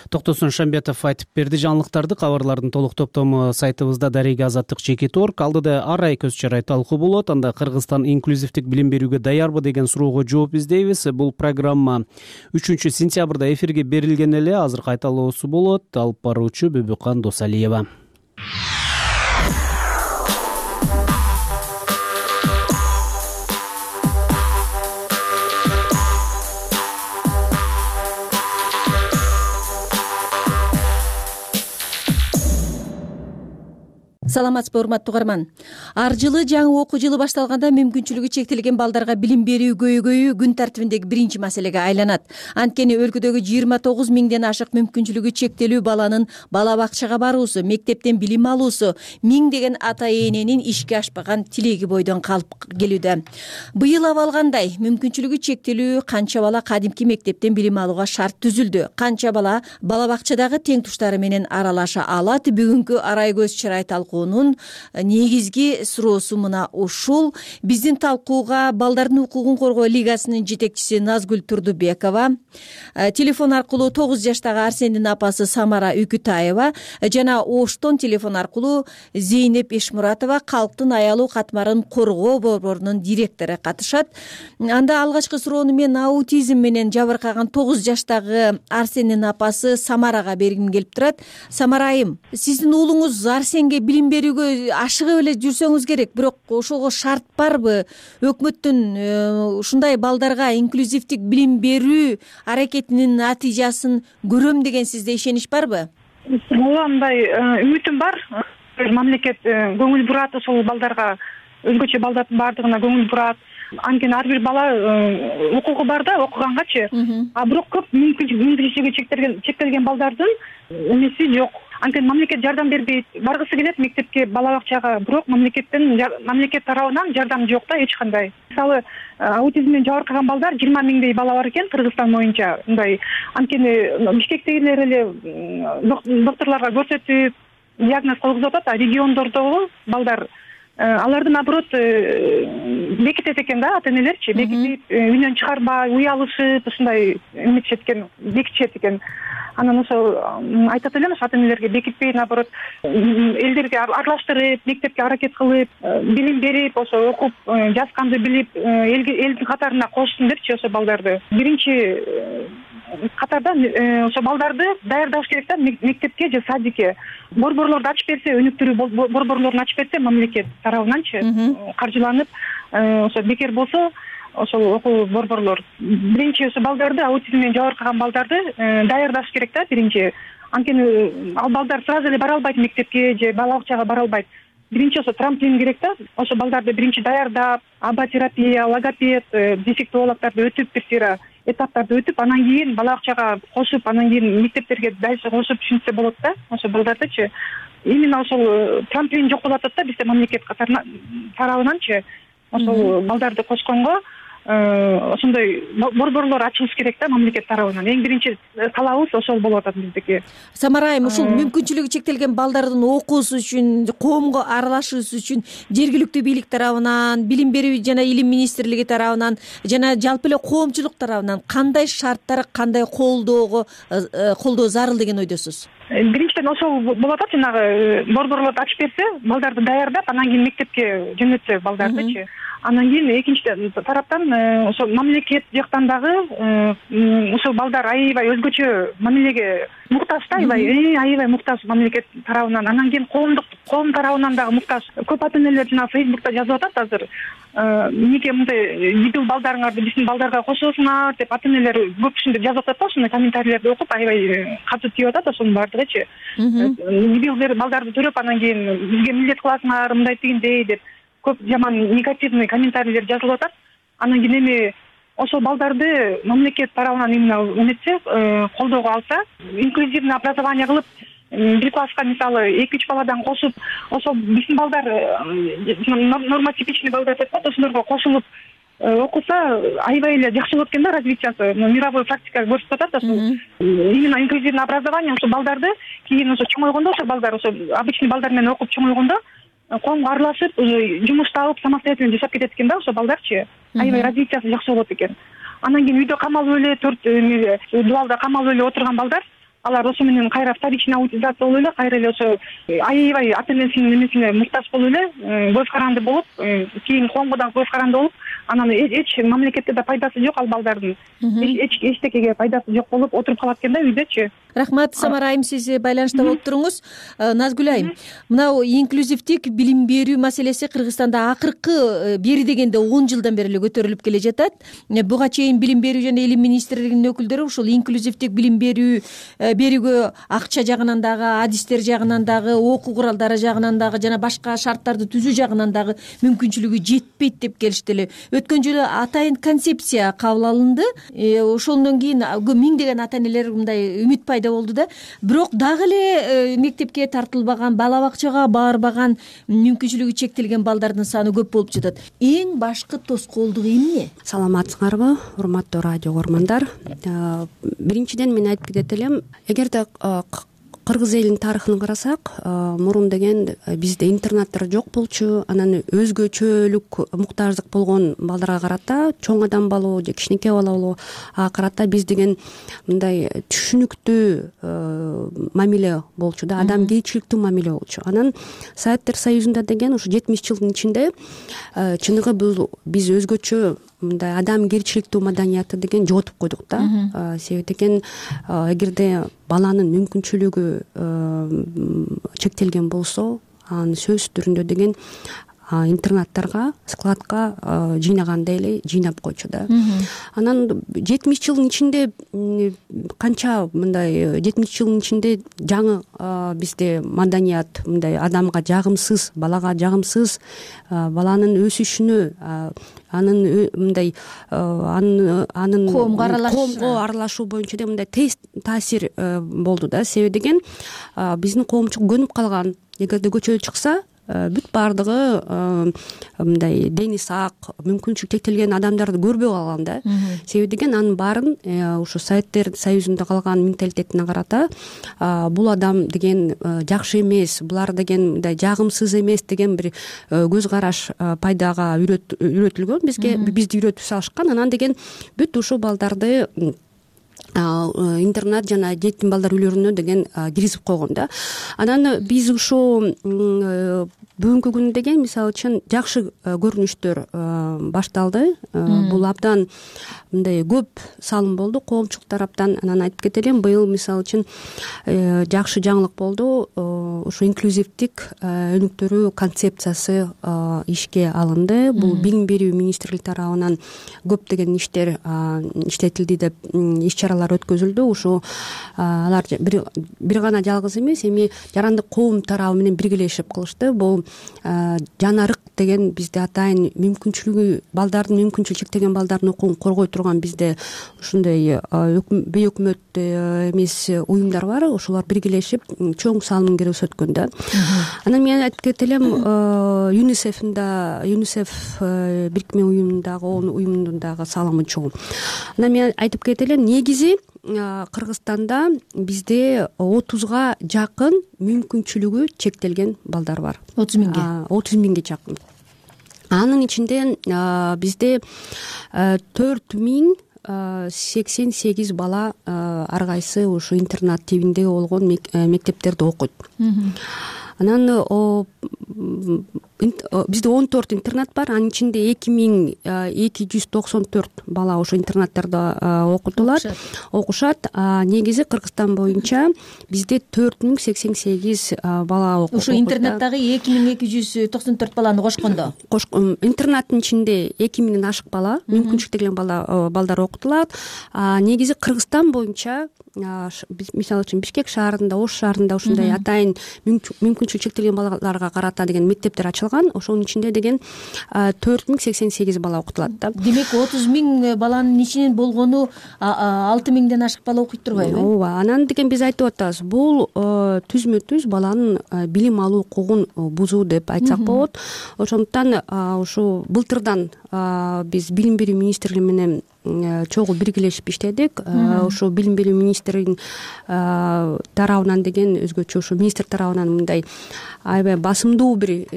Токтосун Шамбетов айтып берди. Жаңылыктарды, кабарлардын толук топтому сайтыбызда Дарега Азаттык ЖК.org. Алдыда ар ай көз чарай талкуу болот. Анда Кыргызстан инклюзивдик билим берүүгө даярбы деген суроого жооп издейбиз. Бул программа 3-сентябрда эфирге берилген эле. Азыр кайталоосу болот. Алып баруучу Бүбүкан Досалиева. Саламатсызбы, урматтуу угарман. Ар жылы жаңы окуу жылы башталганда мүмкүнчүлүгү чектелген балдарга билим берүү көйгөйү күн тартибиндеги биринчи маселеге айланат. Анткени өлкөдөгү 29 миңден ашык мүмкүнчүлүгү чектелүү баланын бала бакчага баруусу, мектептен билим алуусу, миңдеген ата эненин ишке ашпаган тилеги бойдон калып келүүдө. Быйыл абалгандай мүмкүнчүлүгү чектелүү канча бала кадимки мектептен билим алууга шарт түзүлдү? Канча бала бала бакчадагы тең туштары менен аралаша алат? Бүгүнкү арай көз чарай талкуунун негизги суроосу мына ушул. Биздин талкууга Балдардын укугун коргоо лигасынын жетекчиси Назгүл Турдубекова, телефон аркылуу 9 жаштагы Арсендин апасы Самара Үкүтаева жана Оштон телефон аркылуу Зейнеп Эшмуратова калктын аялуу катмарын коргоо борборунун директору катышат. Анда алгачкы суроону мен аутизм менен жабыркаган 9 жаштагы Арсендин апасы Самарага бергим келип турат. Самара айым, сиздин уулуңуз Арсенге билим берүүгө ашыгып эле жүрсөңүз керек, бирок ошого шарт барбы? Өкмөттүн ушундай балдарга инклюзивдик билим берүү аракетинин натыйжасын көрөм деген сизде ишенич барбы? Ооба, мындай үмүтүм бар. Мамлекет көңүл бурат ошол балдарга, өзгөчө балдардын баардыгына көңүл бурат. Анткени ар бир бала укугу бар да, окугангачы. А бирок көп мүмкүнчүлүгү чектелген балдардын эмеси жок. Анткени мамлекет жардам бербейт. Баргысы келет мектепке, бала бакчага, бирок мамлекет тарабынан жардам жок да эч кандай. Мисалы, аутизм менен жабыркаган балдар 20 миңдей бала бар экен Кыргызстан боюнча. Мындай анткени Бишкектегилер эле докторлорго көрсөтүп диагноз койгузуп атат, а региондордогу балдар аларды наоборот бекитет экен да, ата энелерчи бекитип, үйдөн чыгарбай, уялышып, ушундай эметишет экен, бекитишет экен. Анан ошо айтат элем, ошо ата энелерге бекитпей, наоборот, элдерге аралаштырып, мектепке аракет кылып, билим берип, ошо окуп, жазганды билип, элдин катарына кошсун депчи ошо балдарды. Биринчи катарда ошо балдарды даярдаш керек да мектепке же садикке. Борборлорду ачып берсе, өнүктүрүү борборлорун ачып берсе мамлекет тарабынанчы каржыланып, ошо бекер болсо ошол окуу борборлор биринчи ошо балдарды, аутизм менен жабыркаган балдарды даярдаш керек да биринчи. Анткени ал балдар сразу эле бара албайт мектепке же бала бакчага бара албайт. Биринчи ошо трамплин керек да. Ошо балдарды биринчи даярдап, аба-терапия, логопед, дефектологдорду өтүп, бир сыйра этаптарды өтүп, анан кийин бала бакчага кошуп, анан кийин мектептерге дальше кошуп түшүнсө болот да. Ошо балдардычы именно ошол трамплин жок болуп атат да бизде мамлекет тарабынанчы. Ошол балдарды кошконго ошондой борборлор ачылыш керек да мамлекет тарабынан. Эң биринчи талабыбыз ошол болуп атат биздики. Самара айым, ушул мүмкүнчүлүгү чектелген балдардын окуусу үчүн, коомго аралашуусу үчүн жергиликтүү бийлик тарабынан, билим берүү жана илим министрлиги тарабынан жана жалпы эле коомчулук тарабынан кандай шарттар, кандай колдоо зарыл деген ойдосуз? Биринчиден ошол болуп атат, жанагы борборлорду ачып берсе, балдарды даярдап, анан кийин мектепке жөнөтсө балдардычы. Анан кийин экинчи тараптан ошо мамлекет жактан дагы ошол балдар аябай өзгөчө мамилеге муктаж да, аябай муктаж мамлекет тарабынан. Анан кийин коом тарабынан дагы муктаж. Көп ата энелер жана Фейсбукта жазып атат азыр. Эмнеге мындай дебил балдарыңарды биздин балдарга кошосуңар деп ата энелер көп ушинтип жазып атат да, ошондой комментарийлерди окуп аябай катуу тийип атат ошонун баардыгычы. Дебил балдарды төрөп анан кийин бизге милдет кыласыңар, мындай тигиндей деп көп жаман негативный комментарийлер жазылып атат. Анан кийин эми ошол балдарды мамлекет тарабынан именно эметсе, колдоого алса, инклюзивный образование кылып, бир класска мисалы 2-3 баладан кошуп, ошол биздин балдар нормотипичный балдар деп атат, ошолорго кошулуп окуса аябай эле жакшы болот экен да развитиясы. Мировой практика көрсөтүп атат ошол. Именно инклюзивный образование ошол балдарды кийин ошо чоңойгондо, ошол балдар ошо обычный балдар менен окуп чоңойгондо коомго аралашып, жумуш таап, самостоятельно жашап кетет экен да ошо балдарчы. Аябай развитиясы жакшы болот экен. Анан кийин үйдө камалып эле, 4 дубалда камалып эле отурган балдар алар ошо менен кайра вторичный аутизация болуп эле кайра эле ошо аябай ата энесинин эмесине муктаж болуп эле көз каранды болуп кийин коомго дагы көз каранды болуп анан эч мамлекетте да пайдасы жок ал балдардын эчтекеге пайдасы жок болуп отуруп калат экен да үйдөчү. Рахмат Самара айым, сиз байланышта болуп туруңуз. Назгүл айым, мынау инклюзивдик билим берүү маселеси Кыргызстанда акыркы бери дегенде 10 жылдан бери эле көтөрүлүп келе жатат. Буга чейин билим берүү жана илим министрлигинин өкүлдөрү ушул инклюзивдик билим берүүгө акча жагынан дагы, адистер жагынан дагы, окуу куралдары жагынан дагы жана башка шарттарды түзүү жагынан дагы мүмкүнчүлүгү жетпейт деп келишти эле. Өткөн жылы атайын концепция кабыл алынды. Ошондон кийин миңдеген ата энелер мындай үмүт пайда болду да. Бирок дагы эле мектепке тартылбаган, бала бакчага барбаган, мүмкүнчүлүгү чектелген балдардын саны көп болуп жатат. Эң башкы тоскоолдук эмне? Саламатсыңарбы, урматтуу радио көрөрмандар? Биринчиден мен айтып кетет элем, эгерде кыргыз элинин тарыхын карасак, мурун деген бизде интернаттар жок болчу, анан өзгөчөлүк муктаждык болгон балдарга карата, чоң адам болобу же кичинекей бала болобу карата биз деген мындай түшүнүктүү мамиле болчу да, адамгерчиликтүү мамиле болчу. Анан Советтер Союзунда деген ушу 70 жылдын ичинде чыныгы бул биз өзгөчө мындай адамгерчиликтүү маданиятты деген жоготуп койдук да. Себеби деген эгерде баланын мүмкүнчүлүгү чектелген болсо, анын сөзсүз түрүндө деген интернаттарга, складка жыйнагандай эле жыйнап койчу да. Анан 70 жылдын ичинде канча мындай 70 жылдын ичинде жаңы бизде маданият мындай адамга жагымсыз, балага жагымсыз, баланын өсүшүнө, анын мындай анын коомго аралашуу боюнча да мындай тез таасир болду да. Себеби деген биздин коомчук көнүп калган. Эгерде көчөгө чыкса, бүт баардыгы мындай дени сак, мүмкүнчүлүгү чектелген адамдарды көрбөй калган да. Себеби деген анын баарын ушу Советтер Союзунда калган менталитетине карата бул адам деген жакшы эмес, булар деген мындай жагымсыз эмес деген бир көз караш пайдага үйрөтүлгөн, бизди үйрөтүп салышкан. Анан деген бүт ушул балдарды интернат жана жетим балдар үйлөрүнө деген киргизип койгон да. Анан биз ушул бүгүнкү күнү деген мисалы үчүн жакшы көрүнүштөр башталды. Бул абдан мындай көп салым болду коомчулук тараптан. Анан айтып кетелим, быйыл мисалы үчүн жакшы жаңылык болду. Ушу инклюзивдик өнүктүрүү концепциясы ишке алынды. Бул билим берүү министрлиги тарабынан көптөгөн иштер иштетилди деп иш чаралар өткөзүлдү. Ушу алар бир гана жалгыз эмес, эми жарандык коом тарабы менен биргелешип кылышты. Бул жанарык деген бизде атайын мүмкүнчүлүгү, балдардын мүмкүнчүлүгү чектелген балдардын укугун коргой турган бизде ушундай бейөкмөт эмес уюмдар бар. Ошолор биргелешип чоң салымын көрсөткөн да. Анан мен айтып кетелем, ЮНИСЕФ бирикме уюмунун дагы салымы чоң. Анан мен айтып кетелем, негизи Кыргызстанда бизде 30га жакын мүмкүнчүлүгү чектелген балдар бар. 30 миңге жакын. Анын ичинде бизде 4088 бала ар кайсы ушу интернат тибинде болгон мектептерде окуйт. Анан бизде 14 интернат бар. Анын ичинде 2294 бала ошо интернаттарда окушат. Негизи Кыргызстан боюнча бизде 4088 бала окуйт. Ошо интернаттагы 2294 баланы кошкондо. Интернаттын ичинде 2000ден ашык бала, мүмкүнчүлүгү чектелген балдар окутулат. Негизи Кыргызстан боюнча мисалы үчүн Бишкек шаарында, Ош шаарында ушундай атайын мүмкүнчүлүгү чектелген балаларга карата деген мектептер ачылган. Ошонун ичинде деген 4088 бала окутулат да. Демек 30 миң баланын ичинен болгону 6 миңден ашык бала окуйт турбайбы? Ооба. Анан деген биз айтып атабыз, бул түзмө-түз баланын билим алуу укугун бузуу деп айтсак болот. Ошондуктан ушу былтырдан биз билим берүү министрлиги менен чогуу биргелешип иштедик. Ошо билим берүү министринин тарабынан деген өзгөчө ушу министр тарабынан мындай аябай басымдуу бир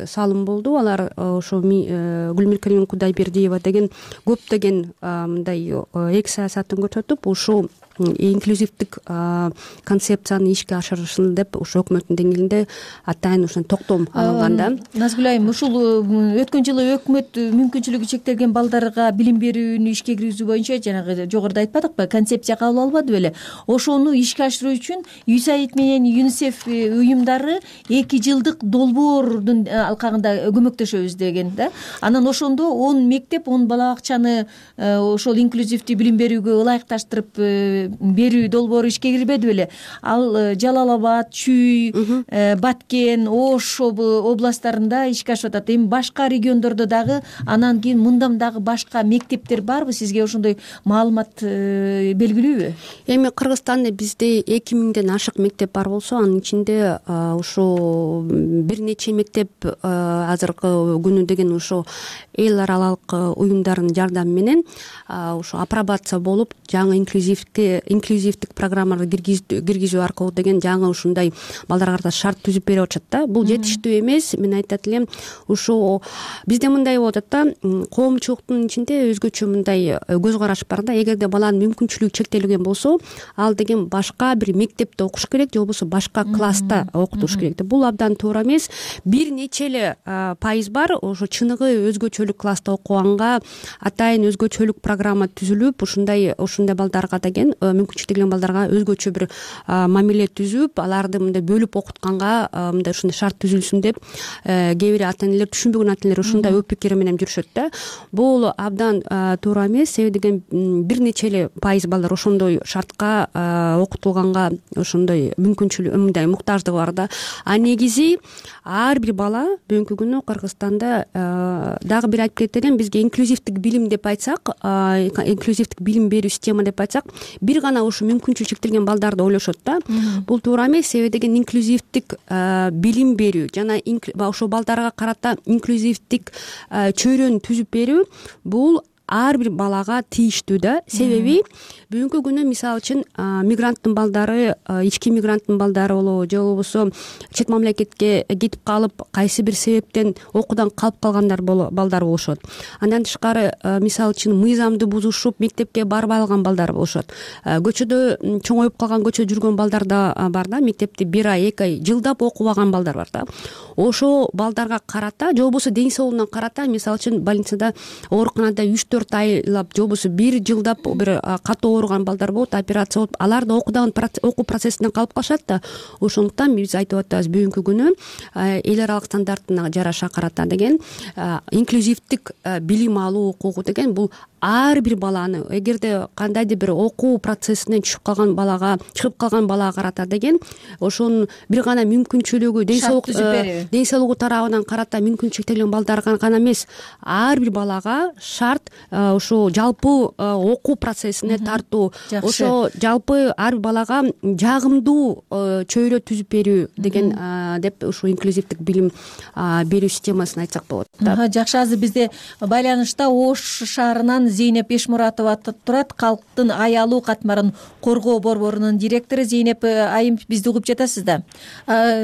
салым болду. Алар ошо Гүлмиркалим Кудайбердиева деген көптөгөн мындай эки саясатын көрсөтүп, ушу инклюзивдик концепцияны ишке ашырышын деп ушу өкмөттүн деңгээлинде атайын ушун токтом алынган да. Назгүл айым, ушул өткөн жылы өкмөт мүмкүнчүлүгү чектелген балдарга билим берүүнү ишке киргизүү боюнча жанагы жогоруда айтпадыкпы, концепция кабыл албады беле? Ошону ишке ашыруу үчүн USAID менен ЮНИСЕФ уюмдары 2 жылдык долбоордун алкагында көмөктөшөбүз деген да. Анан ошондо 10 мектеп, 10 бала бакчаны ошол инклюзивдүү билим берүүгө ылайыкташтырып берүү долбоору ишке кирбеди беле? Ал Жалал Абад, Чүй, Баткен, Ош областтарында ишке ашып атат. Эми башка региондордо дагы, анан кийин мындан дагы башка мектептер барбы? Сизге ошондой маалымат белгилүүбү? Эми Кыргызстанда бизде 2000ден ашык мектеп бар болсо, анын ичинде ушу бир нече мектеп азыркы күнү деген ушу эл аралык уюмдардын жардамы менен ушу апробация болуп, жаңы инклюзивдик программаларды киргизүү аркылуу деген жаңы ушундай балдарга карата шарт түзүп берип атышат да. Бул жетиштүү эмес. Мен айтат элем, ушу бизде мындай болуп атат да, коомчулуктун ичинде өзгөчө мындай көз караш бар да. Эгерде баланын мүмкүнчүлүгү чектелген болсо, ал деген башка бир мектепте окуш керек же болбосо башка класста окутуш керек. Бул абдан туура эмес. Бир нече эле пайыз бар, ошо чыныгы өзгөчөлүк класста окуганга атайын өзгөчөлүк программа түзүлүп, ушундай балдарга деген мүмкүнчүлүгү чектелген балдарга өзгөчө бир мамиле түзүп, аларды мындай бөлүп окутканга мындай ушундай шарт түзүлсүн деп кээ бир ата-энелер, түшүнбөгөн ата-энелер ушундай ой пикири менен жүрүшөт да. Бул абдан туура эмес. Себеби деген бир нече эле пайыз балдар ошондой шартка окутулганга ошондой мүмкүнчүлүк, мындай муктаждыгы бар да. А негизи ар бир бала бүгүнкү күнү Кыргызстанда дагы бир айтып кетет элем, бизге инклюзивдик билим деп айтсак, инклюзивдик билим берүү система деп айтсак, бир гана ушу мүмкүнчүлүгү чектелген балдарды ойлошот да. Бул туура эмес. Себеби деген инклюзивдик билим берүү жана ошол балдарга карата инклюзивдик чөйрөнү түзүп берүү бул ар бир балага тийиштүү да. Себеби бүгүнкү күнү мисалы үчүн мигранттын балдары, ички мигранттын балдары болобу же болбосо чет мамлекетке кетип калып, кайсы бир себептен окуудан калып калгандар балдар болушот. Андан тышкары мисалы үчүн мыйзамды бузушуп мектепке барбай алган балдар болушот. Көчөдө чоңоюп калган, көчөдө жүргөн балдар да бар да. Мектепти 1 ай, 2 ай жылдап окубаган балдар бар да. Ошол балдарга карата же болбосо ден соолугуна карата мисалы үчүн больницада, ооруканада 3-4 айлап же болбосо 1 жылдап бир катуу ооруган балдар болот, операция болуп, алар да окуу процессинен калып калышат да. Ошондуктан биз айтып атабыз, бүгүнкү күнү эл аралык стандарттына жараша карата деген инклюзивдик билим алуу укугу деген бул ар бир баланы, эгерде кандайдыр бир окуу процессинен чыгып калган балага карата деген ошонун бир гана мүмкүнчүлүгү, ден соолугу тарабынан карата мүмкүнчүлүгү чектелген балдарга гана эмес, ар бир балага шарт ошо жалпы окуу процессине тартуу, ошо жалпы ар бир балага жагымдуу чөйрө түзүп берүү деген деп ушу инклюзивдик билим берүү системасын айтсак болот. Жакшы, азыр бизде байланышта Ош шаарынан Зейнеп Эшмуратова турат, калктын аялуу катмарын коргоо борборунун директору. Зейнеп айым, бизди угуп жатасыз да?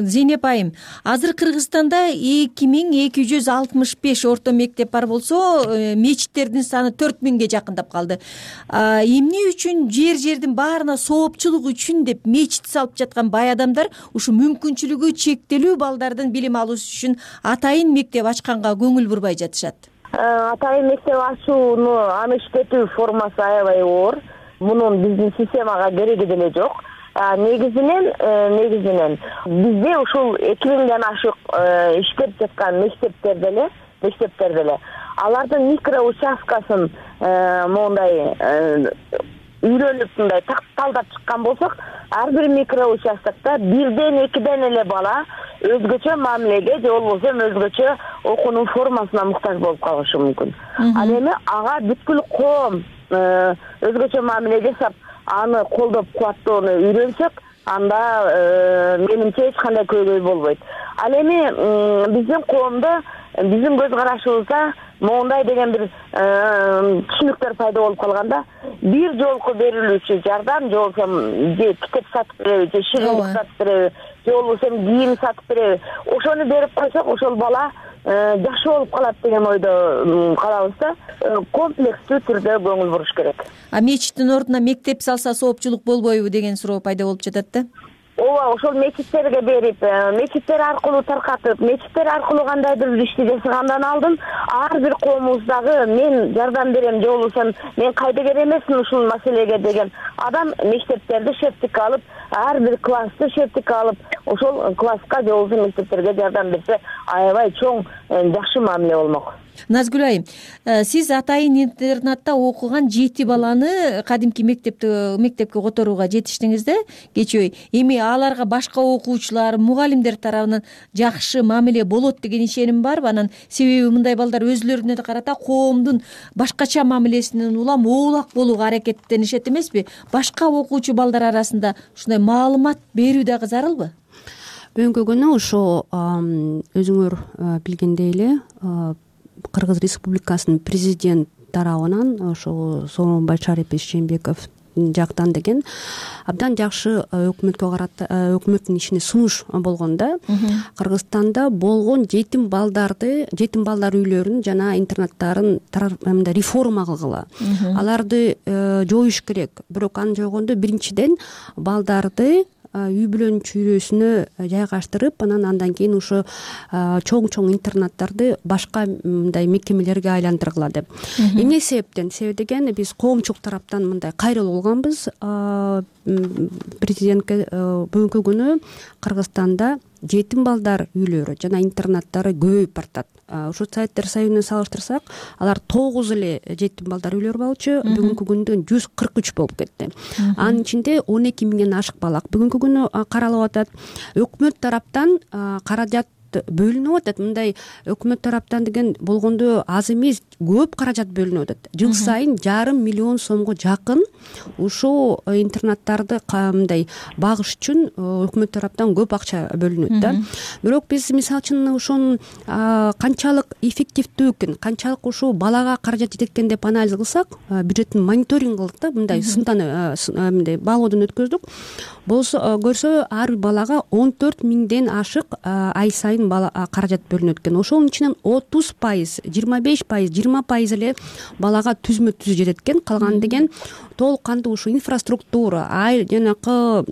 Зейнеп айым, азыр Кыргызстанда 2265 орто мектеп бар болсо, мечиттердин саны 4000ге жакындап калды. Эмне үчүн жердин баарына соопчулук үчүн деп мечит салып жаткан бай адамдар ушу мүмкүнчүлүгү чектелүү балдардын билим алуусу үчүн атайын мектеп ачканга көңүл бурбай жатышат? Атайын мектеп ачууну аны иштетүү формасы аябай оор. Мунун биздин системага кереги деле жок. Негизинен бизде ушул 2000ден ашык иштеп жаткан мектептер деле алардын микро участкасын моундай үйрөнүп мындай талдап чыккан болсок, ар бир микро участкта 1-2 эле бала өзгөчө мамилеге же болбосо өзгөчө окуунун формасына муктаж болуп калышы мүмкүн. Ал эми ага бүткүл коом өзгөчө мамиле жасап, аны колдоп кубаттоону үйрөнсөк, анда менимче эч кандай көйгөй болбойт. Ал эми биздин коомдо, биздин көз карашыбызда моундай деген бир түшүнүктөр пайда болуп калганда, бир жолку берилүүчү жардам же болбосо же китеп сатып береби, же шириндик сатып береби, же болбосо кийим сатып береби, ошону берип койсок, ошол бала жакшы болуп калат деген ойдо калабыз да. Комплекстүү түрдө көңүл буруш керек. А мечиттин ордуна мектеп салса соопчулук болбойбу деген суроо пайда болуп жатат да. Ооба, ошол мечиттерге берип, мечиттер аркылуу таркатып, мечиттер аркылуу кандайдыр бир ишти жасагандан алдын ар бир коомубуздагы мен жардам берем же болбосо мен кайдыгер эмесмин ушул маселеге деген адам мектептерди шептикке алып, ар бир классты шептикке алып, ошол класска же болбосо мектептерге жардам берсе аябай чоң жакшы мамиле болмок. Назгүл айым, сиз атайын интернатта окуган 7 баланы кадимки мектепке которууга жетиштиңиз да кечээ. Эми аларга башка окуучулар, мугалимдер тарабынан жакшы мамиле болот деген ишеним барбы? Анан себеби мындай балдар өзлөрүнө карата коомдун башкача мамилесинен улам оолак болууга аракеттенишет эмеспи? Башка окуучу балдар арасында ушундай маалымат берүү дагы зарылбы? Бүгүнкү күнү ошо өзүңөр билгендей эле Кыргыз Республикасынын президент тарабынан ошо Сооронбай Шарипович Жээнбеков жактан деген абдан жакшы өкмөттүн ишине сунуш болгон да. Кыргызстанда болгон жетим балдар үйлөрүн жана интернаттарын реформа кылгыла. Аларды жоюш керек. Бирок аны жойгондо биринчиден балдарды үй бүлөнүн чүйрөсүнө жайгаштырып, андан кийин ошо чоң интернаттарды башка мындай мекемелерге айландыргыла деп. Эмне себептен? Себеби деген биз коомчулук тараптан мындай кайрылуу алганбыз. Президентке бүгүнкү күнү Кыргызстанда жетим балдар үйлөрү жана интернаттары көбөйүп бартат. Ошо Советтер Союзуна салыштырсак, алар 9 эле жетим балдар үйлөрү болчу, бүгүнкү күндө 143 болуп кетти. Анын ичинде 12 миңден ашык бала бүгүнкү күнү каралып атат. Өкмөт тараптан каражат бөлүнүп атат. Мындай өкмөт тараптан деген болгондо аз эмес, көп каражат бөлүнүп атат. Жыл сайын 5,5 миллион сомго жакын ушул интернаттарды мындай багыш үчүн өкмөт тараптан көп акча бөлүнөт да. Бирок биз мисалы үчүн ошонун канчалык эффективдүү экен, канчалык ушул балага каражат жетет экен деп анализ кылсак, бюджеттин мониторинг кылдык да, мындай мындай баалоодон өткөздүк. Көрсө ар бир балага 14 миңден ашык ай сайын каражат бөлүнөт экен. Ошонун ичинен 30%, 25%, 20% эле балага түзмө түз жетет экен. Калган деген толук кандуу ушу инфраструктура, жанакы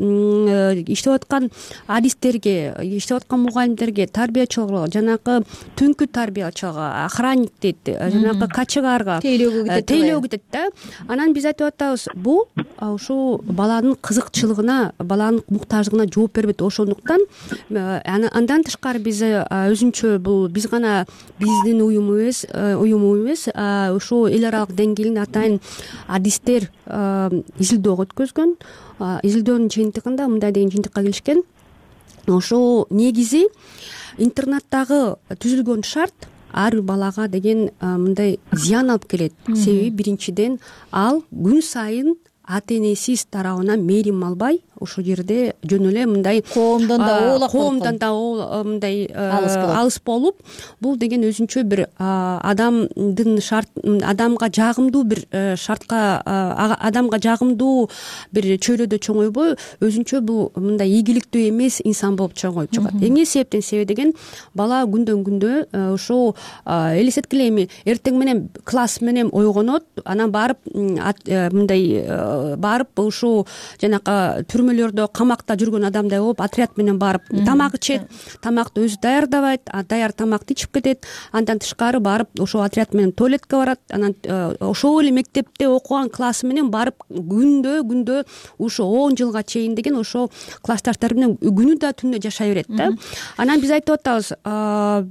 иштеп аткан адистерге, иштеп аткан мугалимдерге, тарбиячыларга, жанакы түнкү тарбиячыларга, охранник дейт, жанакы качыгарга тейлөө кетет да. Анан биз айтып атабыз, бул ушул баланын кызыкчылыгына, баланын муктаждыгына жооп бербейт. Ошондуктан андан тышкары биз өзүнчө бул биз гана биздин уюм эмес, ошо эл аралык деңгээлде атайын адистер изилдөө өткөзгөн. Изилдөөнүн жыйынтыгында мындай деген жыйынтыкка келишкен. Ошо негизи интернаттагы түзүлгөн шарт ар бир балага деген мындай зыян алып келет. Себеби биринчиден ал күн сайын ата энесиз тарабынан мээрим албай, ошол жерде жөн эле мындай коомдон да мындай алыс болуп, бул деген өзүнчө бир адамга жагымдуу бир шартка, адамга жагымдуу бир чөйрөдө чоңойбой, өзүнчө бул мындай ийгиликтүү эмес инсан болуп чоңоюп чыгат. Эмне себептен? Себеби деген бала күндөн күндө ошо элестеткиле, эми эртең менен класс менен ойгонот, анан барып мындай барып ушул жанакы түрмөлөрдө камакта жүргөн адамдай болуп отряд менен барып тамак ичет, тамакты өзү даярдабайт, даяр тамакты ичип кетет. Андан тышкары барып ошол отряд менен туалетке барат. Анан ошол эле мектепте окуган классы менен барып күндө ушу 10 жылга чейин деген ошол классташтары менен күнү да түнү жашай берет да. Анан биз айтып атабыз,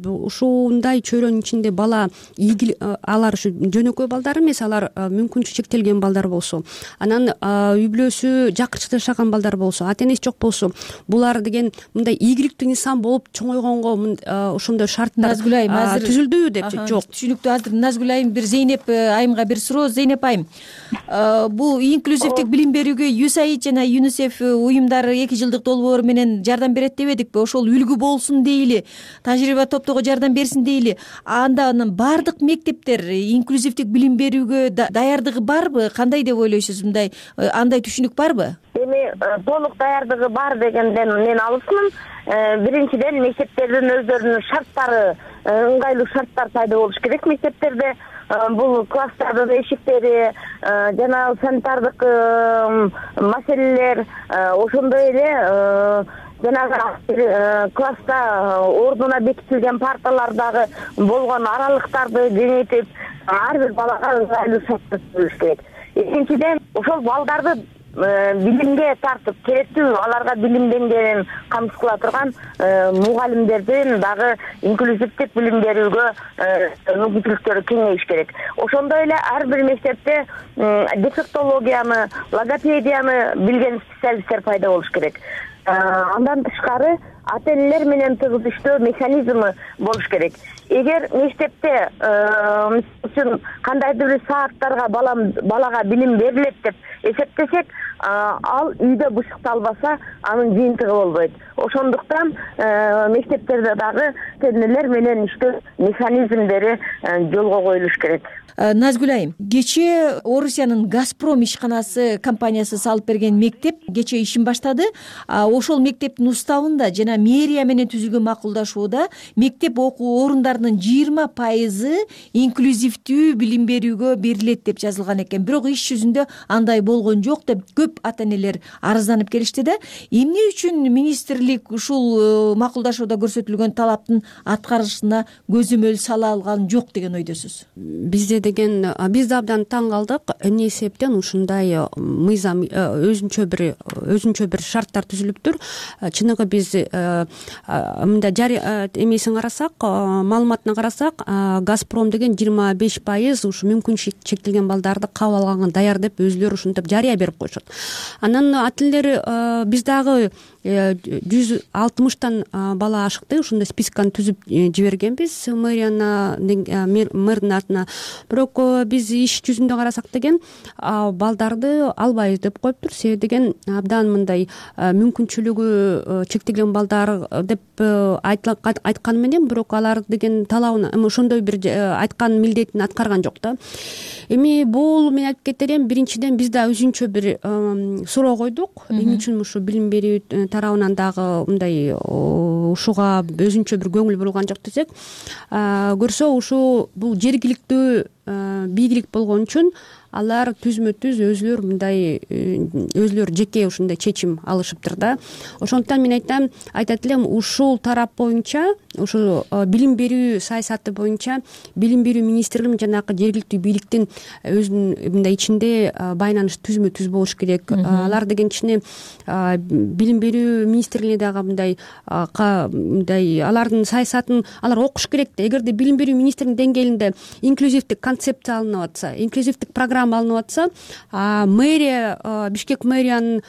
ушундай чөйрөнүн ичинде бала алар ушу жөнөкөй балдар эмес, алар мүмкүнчүлүгү чектелген балдар болсо, анан үй бүлөсү жакырчыкта жашаган балдар болсо, ата энеси жок болсо, булар деген мындай ийгиликтүү инсан болуп чоңойгонго ошондой шарттар түзүлдүбү деп жок. Түшүнүктүү. Азыр Назгүл айым бир Зейнеп айымга бир суроо. Зейнеп айым, бул инклюзивдик билим берүүгө USAID жана UNICEF уюмдары 2 жылдык долбоор менен жардам берет дебедикпи? Ошол үлгү болсун дейли, тажрыйба топтоого жардам берсин дейли. Андан бардык мектептер инклюзивдик билим берүүгө даярдыгы барбы? Кандай деп ойлойсуз? Андай түшүнүк барбы? Эми толук даярдыгы бар дегенден мен алысмын. биринчиден мектептердин өздөрүнүн шарттары, ыңгайлуу шарттар пайда болуш керек мектептерде. Бул класстардын эшиктери, жана санитардык маселелер, ошондой эле жанагы класста ордуна бекитилген парталардагы болгон аралыктарды кеңейтип, ар бир балага ыңгайлуу шарттар түзүш керек. Экинчиден, ошол балдарды билимге тартып, керектүү аларга билим деңгээлин камсыз кыла турган мугалимдердин дагы инклюзивдик билим берүүгө мүмкүнчүлүктөрү кеңейиш керек. Ошондой эле ар бир мектепте дефектологияны, логопедияны билген специалисттер пайда болуш керек. Андан тышкары ата-энелер менен тыгыз иштөө механизми болуш керек. Эгер мектепте үчүн кандайдыр бир сааттарга балага билим берилет деп эсептесек, ал үйдө бышыкталбаса, анын жыйынтыгы болбойт. Ошондуктан мектептерде дагы ата-энелер менен иштөө механизмдери жолго коюлуш керек. Назгүл айым, кечээ Орусиянын Газпром ишканасы компаниясы салып берген мектеп кечээ ишин баштады. Ошол мектептин уставында жана мэрия менен түзүлгөн макулдашууда мектеп окуу орундарынын 20% инклюзивдүү билим берүүгө берилет деп жазылган экен. Бирок иш жүзүндө андай болгон жок деп көп ата-энелер арызданып келишти да. Эмне үчүн министрлик ушул макулдашууда көрсөтүлгөн талаптын аткарылышына көзөмөл сала алган жок деген ойдосуз? Биз да абдан таң калдык. Эмне эсептен ушундай мыйзам өзүнчө бир шарттар түзүлүптүр. Чыныгы биз мындай эмесин карасак, маалыматына карасак, Газпром деген 25% ушу мүмкүнчүлүгү чектелген балдарды кабыл алганга даяр деп өзүлөрү ушинтип жарыя берип коюшат. Анан ата-энелер биз дагы 160 бала ашыкты, ушундай списканы түзүп жибергенбиз мэрдин атына. Бирок биз иш жүзүндө карасак деген балдарды албайбыз деп коюптур. Себеби деген абдан мындай мүмкүнчүлүгү чектелген балдар деп айткан менен, бирок алар деген талабын ошондой бир айткан милдетин аткарган жок да. Эми бул мен айтып кетер элем, биринчиден биз да өзүнчө бир суроо койдук. Эмне үчүн ушу билим берүү тарабынан дагы мындай ушуга өзүнчө бир көңүл бурулган жок десек, көрсө ушу бул жергиликтүү бийлик болгон үчүн алар түзмө-түз өзүлөр жеке ушундай чечим алышыптыр да. Ошондуктан мен айтат элем, ушул тарап боюнча, ушул билим берүү саясаты боюнча билим берүү министрлиги жанагы жергиликтүү бийликтин өзүнүн мындай ичинде байланыш түзмө-түз болуш керек. Алар деген ичине билим берүү министрлигине дагы мындай алардын саясатын алар окуш керек да. Эгерде билим берүү министрлигинин деңгээлинде инклюзивдик концепция алынып атса, инклюзивдик программа алынып атса, мэрия, Бишкек мэриянын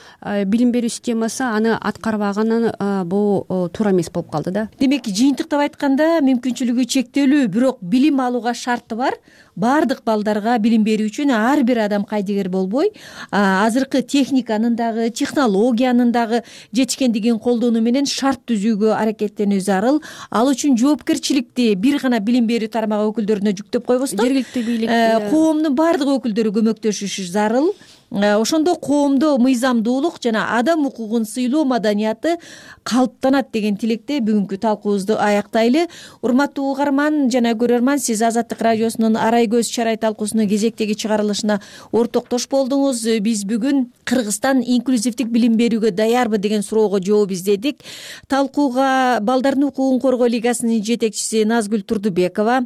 билим берүү системасы аны аткарбаганы бул туура эмес болуп калды да. Демек, жыйынтыктап айтканда, мүмкүнчүлүгү чектелүү, бирок билим алууга шарты бар. Бардык балдарга билим берүү үчүн ар бир адам кайдыгер болбой, азыркы техниканын дагы, технологиянын дагы жетишкендигин колдонуу менен шарт түзүүгө аракеттенүү зарыл. Ал үчүн жоопкерчиликти бир гана билим берүү тармагы өкүлдөрүнө жүктөп койбостон, жергиликтүү бийлик, коомдун бардык өкүлдөрү көмөктөшүшү зарыл. Ошондо коомдо мыйзамдуулук жана адам укугун сыйлоо маданияты калыптанат деген тилекте бүгүнкү талкуубузду аяктайлы. Урматтуу угарман жана көрөрман, сиз Азаттык радиосунун Арай көз чарай талкуусунун кезектеги чыгарылышына ортоктош болдуңуз. Биз бүгүн Кыргызстан инклюзивдик билим берүүгө даярбы деген суроого жооп издедик. Талкууга Балдардын укугун коргоо лигасынын жетекчиси Назгүл Турдубекова,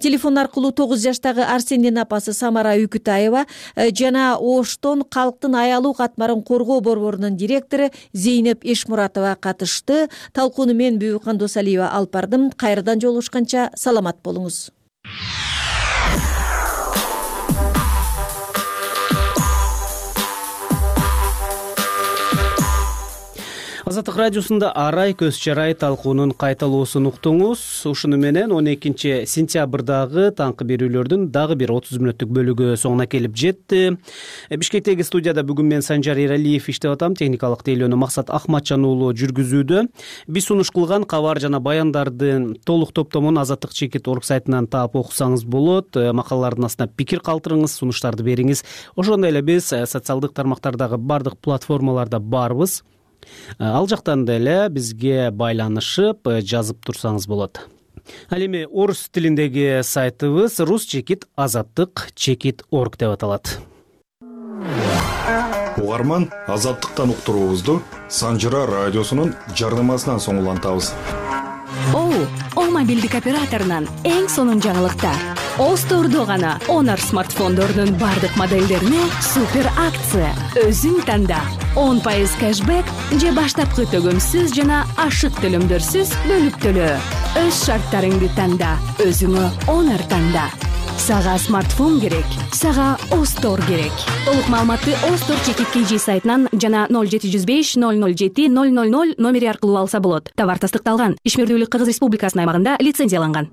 телефон аркылуу 9 жаштагы Арсендин апасы Самара Үкүтаева жана Оштон калктын аялуу катмарын коргоо борборунун директору Зейнеп Эшмуратова катышты. Талкууну мен Бүбүкан Досалиева алып бардым. Кайрадан жолугушканча саламат болуңуз. Азаттык радиосунда Арай көз чарай талкуунун кайталоосун уктуңуз. Ушуну менен 12 сентябрдагы таңкы берүүлөрдүн дагы бир 30 мүнөттүк бөлүгү соңуна келип жетти. Бишкектеги студияда бүгүн мен Санжар Эралиев иштеп атам. Техникалык тейлөөнү Максат Ахматжан уулу жүргүзүүдө. Биз сунуш кылган кабар жана баяндардын толук топтомун Азаттык.org сайтынан таап окусаңыз болот. Макалалардын астына пикир калтырыңыз, сунуштарды бериңиз. Ошондой эле биз социалдык тармактардагы бардык платформаларда барбыз. Ал жактан деле бизге байланышып жазып турсаңыз болот. Ал эми орус тилиндеги сайтыбыз rus-azattik.org деп аталат. Угарман, Азаттыктан уктуруубузду Санжыра радиосунун жарнамасынан соң улантабыз. О мобилдик операторунан эң сонун жаңылыктар. Остордо гана Honor смартфондорунун бардык моделдерине супер акция. Өзүң танда 10% кэшбэк же баштапкы төгөмсүз жана ашык төлөмдөрсүз бөлүп төлөө. Өз шарттарыңды танда, өзүңө Honor танда. Сага смартфон керек, сага Остор керек. Толук маалыматты Остор чекит сайтынан жана 0705 007 000 номери аркылуу алса болот. Товар тастыкталган. Ишмердүүлүк Кыргыз Республикасынын аймагында лицензияланган.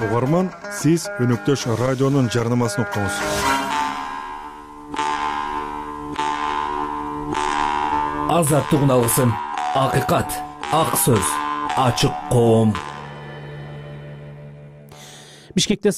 Угарман, сиз өнөктөш радионун жарнамасын уктуңуз. Азаттык алгысын. Акыйкат, ак сөз, ачык коом. Бишкекте